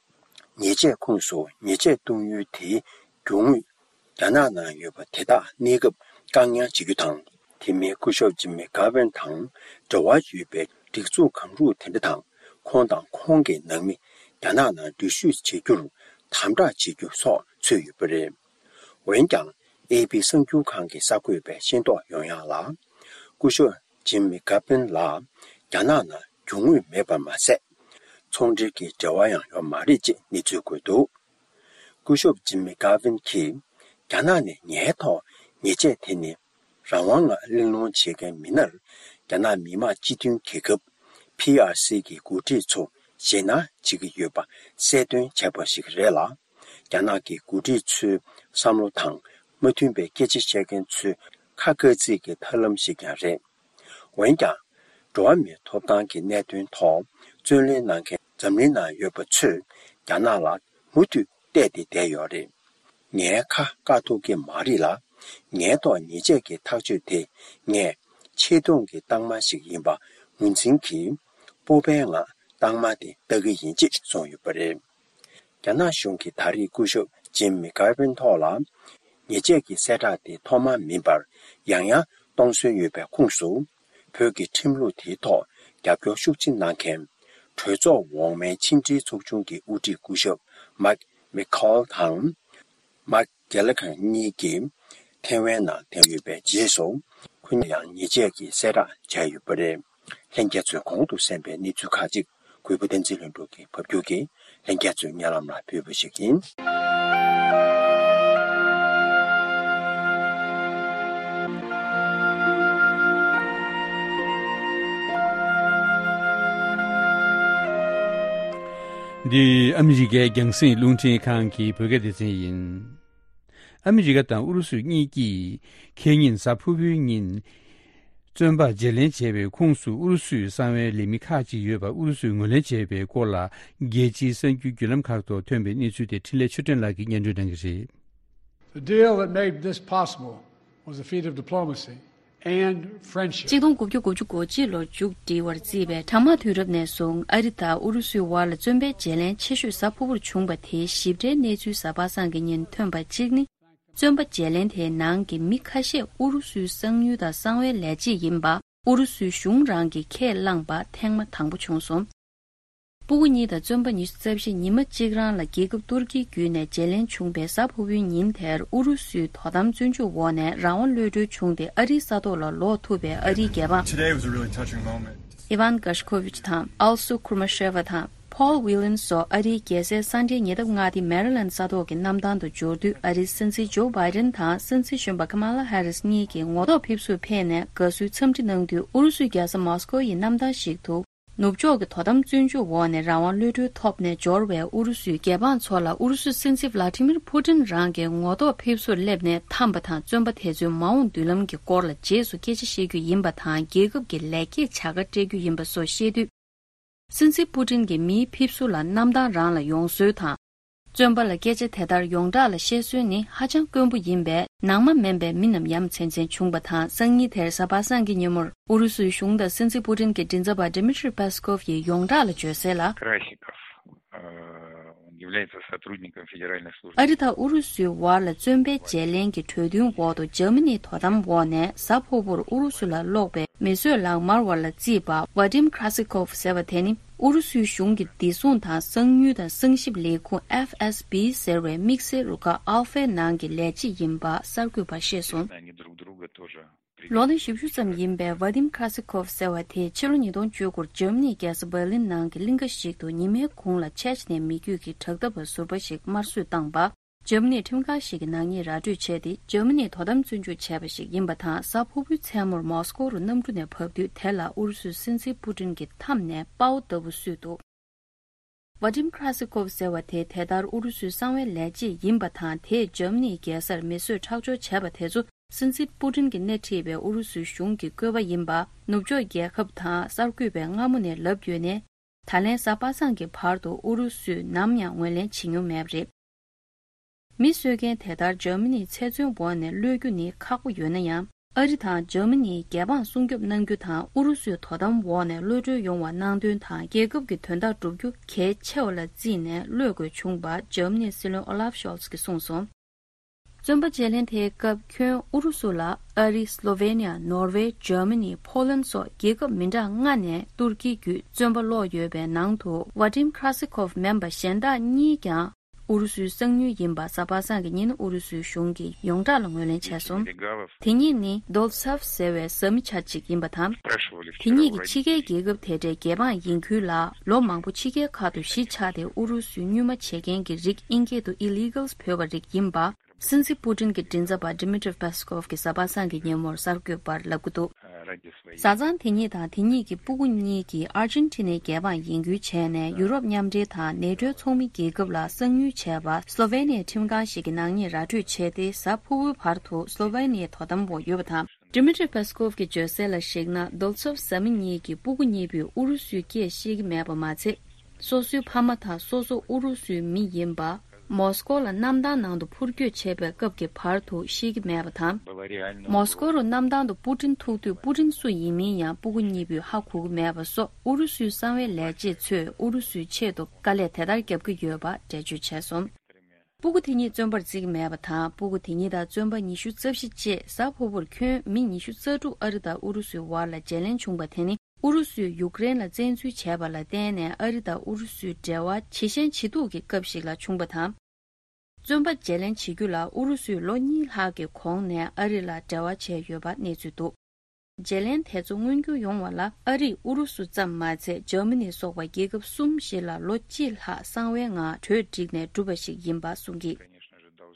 ཉེས་ཆད་ཁོངས་སུ་ཉེས་ཆད་གཏོང་ཡུལ་དེའི་རྒྱུ་དངོས་རྒྱ་ནག་ནང་ཡོད་པ་དེ་དག་གནས་སྐབས་བཀག་ཉར་བྱེད་རྒྱུ་དང་། དེ་མིན་སྐུ་ཞབས་ཇིམ་མི་གྷ་ཝིན་དང་འབྲེལ་བ་ཡོད་པའི་སྒྲིག་འཛུགས་གང་རུང་དེ་འདྲ་དང་། ཁོང་དང་ཁོང་གི་ནང་མི་རྒྱ་ནག་ནང་འགྲུལ་བཞུད་བྱེད་རྒྱུར་དམ་དྲག་བྱེད་རྒྱུ་སོགས་ཚུད་ཡོད་པ་རེད། འོན་ཀྱང་། ཨེ་པི་གསར་འགྱུར་ཁང་གི་གསར་འགོད་པས་ཤེས་རྟོགས་ཡོང་ཡག་ལ། སྐུ་ཞབས་ཇིམ་མི་གྷ་ཝིན་ལ་རྒྱ་ནག་ནང་རྒྱུ་དངོས་མེད་པ་མ་ཟད། ཚོང་འབྲེལ་གྱི་འབྲེལ་བ་ཡང་ཡོད་མ་རེད་ཅེས་གནས་ཚུལ་བཀོད་འདུག་སྐུ་ཞབས་ཇིམ་མི་གྷ་ཝིན་གྱིས། རྒྱ་ནག་ནས་ངའི་ཐོག་ཉེས་ཆད་དེ་ནི་རང་དབང་ངང་གླེང་སློང་བྱེད་མཁན་མི་སྣར། རྒྱ་ནག་མི་དམངས་སྤྱི་མཐུན་རྒྱལ་ཁབ་པི་ཨར་སི་གི་འགོ་ཁྲིད་ཚོ་ཞེད་སྣང་བྱེད་ཀྱི་ཡོད་པ་གསལ་སྟོན་བྱས་པ་ཞིག་རེད་ལ། རྒྱ་ནག་གི་འགོ་ཁྲིད་ཚོའི་བསམ་བློ་དང་མ་མཐུན་པའི་སྐད་ཆ་བཤད་མཁན་ཚོའི་ཁ་དཀར་བརྩིགས་ཀྱི་ཐབས་ལམ་ཞིག་ཀྱང་རེད། འོན་ཀྱང་། འགྲོ་བ་མིའི་ཐོབ་ཐང་གི་གནད་དོན་ཐོག་བརྩོན་ལེན་གནང་མཁན་འཛམ་གླིང་ནང་ཡོད་པ་ཚོས་རྒྱ་ནག་ལ་མུ་མཐུད་བལྟས་ཏེ་བསྡད་ཡོད་རེད། ངའི་ཁ་བཀག་ཐུབ་ཀྱི་མ་རེད་ལ། ངའི་ཐོག་ཉེས་ཆད་ཀྱི་ཐག་གཅོད་དེ་ངས་ཆེ་མཐོང་གི་རྟགས་མ་ཞིག་ཡིན་པ་ངོས་འཛིན་གྱིས། སྤོབས་པའི་ངང་རྟགས་མ་དེ་ལྟ་གི་ཡིན་ཅེས་གསུངས་ཡོད་པ་རེད། རྒྱ་ནག་གཞུང་གིས་ད་རེས་སྐུ་ཞབས་ཇིམ་མི་གྷ་ཝིན་ཐོག་ལ། ཉེས་ཆད་ཀྱི་གསལ་བསྒྲགས་དེ་ཐོག་མ་མིན་པར་ཡང་ཡང་གཏོང་སྲོལ་ཡོད་པའི་ཁོངས་སུ། བོད་ཀྱི་ཁྲིམས་ལུགས་དེའི་ཐོག་རྒྱབ་སྐྱོར་ཤུགས་ཆེ་གནང་མཁན། གྲོས་ཚོགས་འོག་མའི་ཕྱི་འབྲེལ་ཚོགས་ཆུང་གི་དབུ་ཁྲིད་སྐུ་ཞབས་མཱིག་མེ་ཁཱལ་དང་། མཱིག་གེ་ལ་གྷར་གཉིས་ཀྱིས་ཐེ་ཝན་ནང་བསྡད་ཡོད་པའི་རྗེས་སུ། ཁོ་གཉིས་ཡང་ཉེས་ཆད་ཀྱི་གསལ་བསྒྲགས་བྱས་ཡོད་པ་རེད། ལྷན་རྒྱས་ཚོས་གོང་དུ་གསན་པའི་གནས་ཚུལ་ཁག་ཅིག་གུས་པ་བསྟན་འཛིན་ལྷུན་གྲུབ་ཀྱིས་ཕབ་སྒྱུར་གྱིས་ལྷན་རྒྱས་ཚོའི་སྙན་ལམ་ལ་ཕུལ་བ་ཞིག་ཡིན། འདི་ཨ་མི་རི་ཀའི་རྒྱང་སྲིང་རླུང་འཕྲིན་ཁང་གི་བོད་སྐད་སྡེ་ཚན་ཡིན། ཨ་མི་རི་ཀ་དང་ཨུ་རུ་སུ་གཉིས་ཀྱིས་ཁེ་ཉིན་གཟའ་ཕུར་བུའི་ཉིན། བཙོན་པ་བརྗེ་ལེན་བྱས་པའི་ཁོངས་སུ་ཨུ་རུ་སུའི་གསང་བའི་ལས་མི་ཁག་ཅིག་ཡོད་པ་ཨུ་རུ་སུས་ངོས་ལེན་བྱས་པའི་སྐོར་ལ། རྒྱལ་སྤྱིའི་གསར་འགྱུར་བརྒྱུད་ལམ་ཁག་ཐོག་ཐོན་པའི་གནས་ཚུལ་དེ་འཕྲིན་ལས་ཆོས་སྒྲོན་ལགས་ཀྱིས་སྙན་སྒྲོན་གནང་གི་རེད། The deal that made this possible was the feat of diplomacy and friendship. གཅིག་སྟོང་དགུ་བརྒྱ་དགུ་བཅུ་གོ་གཅིག་ལོར་མཇུག་སྒྲིལ་བར་བརྩིས་པའི་གྲང་དམག་དུས་རབས་ནས་བཟུང་ཨ་རི་དང་ཨུ་རུ་སུའི་བར་ལ་བཙོན་པའི་བརྗེ་ལེན་ཆེ་ཤོས་གཟའ་ཕུར་བུར་བྱུང་བ་དེའི་ཞིབ་ཕྲའི་གནས་ཚུལ་གཟའ་པ་སངས་ཀྱི་ཉིན་ཐོན་པ་གཅིག་ནི། བཙོན་པ་བརྗེ་ལེན་དེའི་ནང་གི་མི་ཁ་ཤས་ཨུ་རུ་སུའི་གསང་ཉུལ་དང་གསང་བའི་ལས་བྱེད་ཡིན་པ་ཨུ་རུ་སུའི་གཞུང་རང་གིས་ཁས་བླངས་པ་ཐེངས་མ་དང་པོ་བྱུང་སོང་། སྤུ་གུ་གཉིས་དང་བཙོན་པ་ཉི་ཤུ་རྩ་བཞི་ཉི་མ་གཅིག་རང་ལ་རྒྱལ་ཁབ་ཏུར་ཀིའི་བརྒྱུད་ནས་བརྗེ་ལེན་བྱུང་བའི་གཟའ་ཕུར་བུའི་ཉིན་དེར་ཨུ་རུ་སུའི་དོ་དམ་བཙོན་འཇུག་འོག་ནས་རང་དབང་གློད་གྲོལ་བྱུང་སྟེ་ཨ་རིའི་ས་ཐོག་ལ་ལོག་ཐུབ་པའི་ཨ་རིའི་རྒྱལ་འབངས། Today was a really touching moment. ཨི་ཝན་གྷ་ཤ་ཁོ་ཝིཆ་དང་ཨལ་སུ་ཁུར་མ་ཤེ་ཝ་དང་། ཕོལ་ཝི་ལན་སོགས་ཨ་རིའི་རྒྱལ་སའི་ས་འབྲེལ་ཉེ་འདབས་མངའ་སྡེ་མེ་རི་ལན་ས་ཐོག་གི་གནམ་ཐང་དུ་འབྱོར་དུས། ཨ་རིའི་སྲིད་འཛིན་ཇོ་བྷའི་ཌེན་དང་སྲིད་འཛིན་གཞོན་པ་ཀ་མ་ལ་ཧེ་རིས་གཉིས་ཀྱིས་ངོ་ཐོག་ཕེབས་བསུར་ཕེབས་ནས་དགའ་བསུའི་འཚམས་འདྲི་གནང་དུས། ཨུ་རུ་སུའི་རྒྱལ་ས་མོ་སི་ཀོ་ཡི་གནམ་ཐང་ཞིག་ཏུ། ནུབ་ཕྱོགས་ཀྱི་དོ་དམ་བཙོན་འཇུག་འོག་ནས་རང་དབང་གློད་གྲོལ་ཐོབ་ནས་འབྱོར་བའི་ཨུ་རུ་སུའི་རྒྱལ་འབངས་ཚོ་ལ་ཨུ་རུ་སུའི་སྲིད་འཛིན་ཝ་ལ་ཏི་མིར་ཕུ་ཏིན་རང་གིས་ངོ་ཐོག་ཕེབས་བསུར་སླེབས་ནས་འཐམས་པ་དང་། བཙོན་པ་དེ་ཚོའི་མ་འོངས་མདུན་ལམ་གྱི་སྐོར་ལ་རྗེས་སུ་སྐད་ཆ་བཤད་རྒྱུ་ཡིན་པ་དང་། རྒྱལ་ཁབ་ཀྱི་ལེགས་སྐྱེས་བྱ་དགའ་སྤྲད་རྒྱུ་ཡིན་པ་སོགས་བཤད་དུས། སྲིད་འཛིན་པུ་ཏིན་གྱིས་མིའི་ཕེབས་བསུ་ལ་གནམ་ཐང་རང་ལ་ཡོང་སྲོལ་དང་། བཙོན་པ་ལ་སྐད་ཆ་དེ་ལྟར་ཡོངས་གྲགས་ལ་བཤད་སྲོལ་ནི་ཧ་ཅང་དཀོན་པོ་ཡིན་པས། ནང་མ་མིན་པའི་མི་རྣམས་ཡ་མཚན་ཅན་བྱུང་བ་དང་། སང་ཉིན་དེར་གཟའ་པ་སངས་ཀྱི་ཉིན་མོར་ཨུ་རུ་སུའི་གཞུང་དང་སྲིད་འཛིན་པུ་ཏིན་གྱི་མགྲིན་ཚབ་པ་Dmitry Peskov ཡིས་ཡོངས་གྲགས་ལ་བརྗོད་གསལ་ལ། Krasnikov, э, он является сотрудником Федеральной службы. ཨ་རི་དང་ཨུ་རུ་སུའི་བར་ལ་བཙོན་པའི་བརྗེ་ལེན་གྱི་གྲོས་མཐུན་འོག་ཏུ། འཇར་མ་ནིའི་དོ་དམ་འོག་ནས་གཟའ་ཕུར་བུར་ཨུ་རུ་སུ་ལ་སློག་པའི་མི་གསོད་ལག་དམར་བ་ལ་བརྩིས་པ་Vadim Krasikov ཟེར་བ་དེ་ནི། ཨུ་རུ་སུའི་གཞུང་གི་བདེ་སྲུང་དང་གསང་ཉུལ་དང་གསང་ཞིབ་ལས་ཁུངས་F S B ཟེར་བའི་དམིགས་བསལ་རུ་ཁག་Alpha ནང་གི་ལས་བྱེད་ཡིན་པ་གསར་འགོད་པར་བཤད་སོང་། Они друг друга тоже. ལོ་ན་བཞི་བཅུ་ཙམ་ཡིན་པའི་Vadim Krasikov ཟེར་བ་དེས་ཕྱི་ལོ་ཉིས་སྟོང་བཅུ་དགུར་འཇར་མ་ནིའི་རྒྱལ་ས་Berlin ནང་གི་གླིང་ག་ཞིག་ཏུ་ཉི་མའི་གུང་ལ་ཆེཆ་ནས་མི་རྒྱུད་ཀྱི་དྲག་འཐབ་པ་ཟུར་པ་ཞིག་དམར་གསོད་བཏང་པ། འཇར་མ་ནིའི་ཁྲིམས་ཁང་ཞིག་གིས་ནག་ཉེས་ར་སྤྲོད་བྱས་ཏེ། འཇར་མ་ནིས་དོ་དམ་བཙོན་འཇུག་བྱས་པ་ཞིག་ཡིན་པ་དང་། གཟའ་ཕུར་བུའི་མཚན་མོར་མོ་སི་ཀོ་རུ་གནམ་གྲུ་ནས་བབས་དུས། དེ་ལ་ཨུ་རུ་སུའི་སྲིད་འཛིན་པུ་ཏིན་གྱིས་མཐའམ་ནས་དཔའ་བོ་ལྟ་བུ་བསུས་འདུག། ཝ་ཏིམ་ཁྲ་སི་ཀོབ་ཟེར་བ་དེ་དེ་ལྟར་ཨུ་རུ་སུའི་གསང་བའི་ལས་བྱེད་ཡིན་པ་དང་། དེས་འཇར་མ་ནིའི་རྒྱལ་སར་མེ་གསོད་ཁྲག་སྦྱོར་བྱས་པ་དེ་ཚོ། སྲིད་འཛིན་པུ་ཏིན་གྱིས་སྣེ་ཁྲིད་པའི་ཨུ་རུ་སུའི་གཞུང་གི་བཀོད་པ་ཡིན་པ། ནུབ་ཕྱོགས་རྒྱལ་ཁབ་དང་གསར་འགོད་པས་སྔ་མོ་ནས་ལབ་ཡོད་ནའི། ད་ལན་གཟའ་པ་སངས་ཀྱི་བར་དུ་ཨུ་རུ་སུས་ནམ་ཡང་ངོས་ལེན་བྱེད་མྱོང་མེད་པ་རེད། མི་གསོད་མཁན་དེ་ལྟར་འཇར་མ་ནིའི་ཚེ་བཙོན་འོག་ནས་གློད་རྒྱུ་ནི་ཁག་པོ་ཡོད་ན་ཡང་། ཨ་རི་དང་འཇར་མ་ནིའི་རྒྱལ་འབངས་སྲུང་སྐྱོབ་གནང་རྒྱུ་དང་། ཨུ་རུ་སུའི་དོ་དམ་འོག་ནས་གློད་གྲོལ་ཡོང་བ་གནང་དོན་དང་། རྒྱལ་ཁབ་ཀྱི་དོན་དག་བསྒྲུབ་རྒྱུ་གལ་ཆེ་བ་ལ་བརྩིས་ནས་གློད་དགོས་བྱུང་བ། འཇར་མ་ནིའི་སྲིད་བློན་ཨོ་ལཱབ་ཤོལ་ཚ་གིས་གསུངས་སོང་། བཙོན་པ་བརྗེ་ལེན་དེའི་སྐབས་ཁྱོན་ཨུ་རུ་སུ་ལ་ཨ་རི། སློ་ཝེ་ནི་ཡ། ནོར་ཝེ། འཇར་མ་ནི། ཕོ་ལན་སོགས་རྒྱལ་ཁབ་མི་འདྲ་ལྔ་ནས་ཏུར་ཀི་བརྒྱུད་བཙོན་པ་སློག་ཡོད་པའི་ནང་དུ། ཝ་ཏིམ་ཁྲ་སི་ཀོབ་མིན་པ་གཞན་དག་གཉིས་ཀྱང་ཨུ་རུ་སུའི་གསང་ཉུལ་ཡིན་པ་གཟའ་པ་སངས་ཀྱི་ཉིན་ཨུ་རུ་སུའི་གཞུང་གིས་ཡོངས་གྲགས་ལ་ངོས་ལེན་བྱས་སོང་། དེ་གཉིས་ནི་རྡོལ་ཚབ་ཟེར་བའི་བཟའ་མི་ཆ་གཅིག་ཡིན་པ་དང་། དེ་གཉིས་ཀྱིས་ཕྱི་རྒྱལ་རྒྱལ་ཁབ་དེ་འདྲའི་རྒྱལ་འབངས་ཡིན་ཁུལ་ལ་ལོ་མང་པོ་ཕྱི་རྒྱལ་ཁག་ཏུ་གཞིས་ཆགས་ཏེ། ཨུ་རུ་སུའི་སྨྱུག་མ་བྱེད་མཁན་གྱི་རིགས། ཨིན་སྐད་དུ་Illegals བོས་པ་རིགས་ཡིན་པ། སྲིད་འཛིན་པུ་ཏིན་གྱི་མགྲིན་ཚབ་པ་Dmitry Peskov གིས་གཟའ་པ་སངས་ཀྱི་ཉིན་མོར་གསར་འགོད་པར་ལབ་ཀྱི་འདུག། བཟའ་ཚང་དེ་གཉིས་དང་དེ་གཉིས་ཀྱི་སྤུ་གུ་གཉིས་ཀྱིས་ཨར་ཇེན་ཊི་ནའི་རྒྱལ་འབངས་ཡིན་ཁུལ་བྱས་ནས། ཡུ་རོབ་མཉམ་འབྲེལ་དང་ནེ་ཊོའི་ཚོགས་མི་རྒྱལ་ཁབ་ལ་གསང་ཉུལ་བྱས་པ། སློ་ཝེ་ནི་ཡའི་ཁྲིམས་ཁང་ཞིག་གིས་ནག་ཉེས་ར་སྤྲོད་བྱས་ཏེ། གཟའ་ཕུར་བུའི་བར་དུ་སློ་ཝེ་ནི་ཡའི་དོ་དམ་འོག་ཡོད་པ་དང་། Dmitry Peskov གིས་བརྗོད་གསལ་ལ་གཞིགས་ན། རྡོལ་ཚོབ་བཟའ་མི་གཉིས་ཀྱི་སྤུ་གུ་གཉིས་པོས་ཨུ་རུ་སུའི་སྐད་ཤེས་ཀྱི་མེད་པ་མ་ཚད། སོ་སོའི་ཕ་མ་དང་སོ་སོ་ཨུ་རུ་སུའི་མི་ཡིན་པ། མོ་སི་ཀོ་ལ་གནམ་ཐང་ནང་དུ་འཕུར་སྐྱོད་བྱེད་པའི་སྐབས་ཀྱི་བར་དུ་ཤེས་ཀྱི་མེད་པ་དང་། མོ་སི་ཀོ་རུ་གནམ་ཐང་དུ་པུ་ཏིན་ཐུག་དུས། པུ་ཏིན་སུ་ཡིན་མིན་ཡང་སྤུ་གུ་གཉིས་པོས་ཧ་གོ་གི་མེད་པ་སོགས། ཨུ་རུ་སུའི་གསང་བའི་ལས་བྱེད་ཚོས་ཨུ་རུ་སུའི་ཆེད་དུ་དཀའ་ལས་དེ་ལྟར་བརྒྱབ་ཀྱི་ཡོད་པ་འགྲེལ་བརྗོད་བྱས་སོང་། སྤུ་གུ་དེ་གཉིས་བཙོན་པར་བརྩི་གི་མེད་པ་དང་། སྤུ་གུ་དེ་གཉིས་དང་བཙོན་པ་ཉི་ཤུ་རྩ་བཞི་བཅས། གཟའ་ཕུར་བུར་ཁྱོན་མི་ཉི་ཤུ་རྩ་དྲུག་ཨ་རི་དང་ཨུ་རུ་སུའི་བར་ལ་བརྗེ་ལེན་བྱུང་བ་དེ་ནི། ཨུ་རུ་སུས་ཡུཀ་རེན་ལ་བཙན་འཛུལ་བྱས་པ་ལ་བརྟེན་ནས། ཨ་རི་དང་ཨུ་རུ་སུའི་འབྲེལ་བ་ཇེ་ཞན་ཇེ་སྡུག་གི་སྐབས་ཤིག་ལ་བྱུང་བ་དང་། བཙོན་པ་བརྗེ་ལེན་བྱེད་རྒྱུ་ལ་ཨུ་རུ་སུས་ལོ་གཉིས་ལྷག་གི་གོང་ནས་ཨ་རི་ལ་འབྲེལ་བ་བྱས་ཡོད་པ་གནས་ཚུལ་འདུག། བརྗེ་ལེན་དེ་ཚོ་མངོན་འགྱུར་ཡོང་བ་ལ། ཨ་རིས་ཨུ་རུ་སུ་ཙམ་མ་ཚད། འཇར་མ་ནི་སོགས་པ་རྒྱལ་ཁབ་གསུམ་ཞིག་ལ་ལོ་གཅིག་ལྷག་གསང་བའི་ངང་གྲོས་བསྒྲིགས་ནས་བསྒྲུབས་པ་ཞིག་ཡིན་པ་གསུངས་ཀྱིས།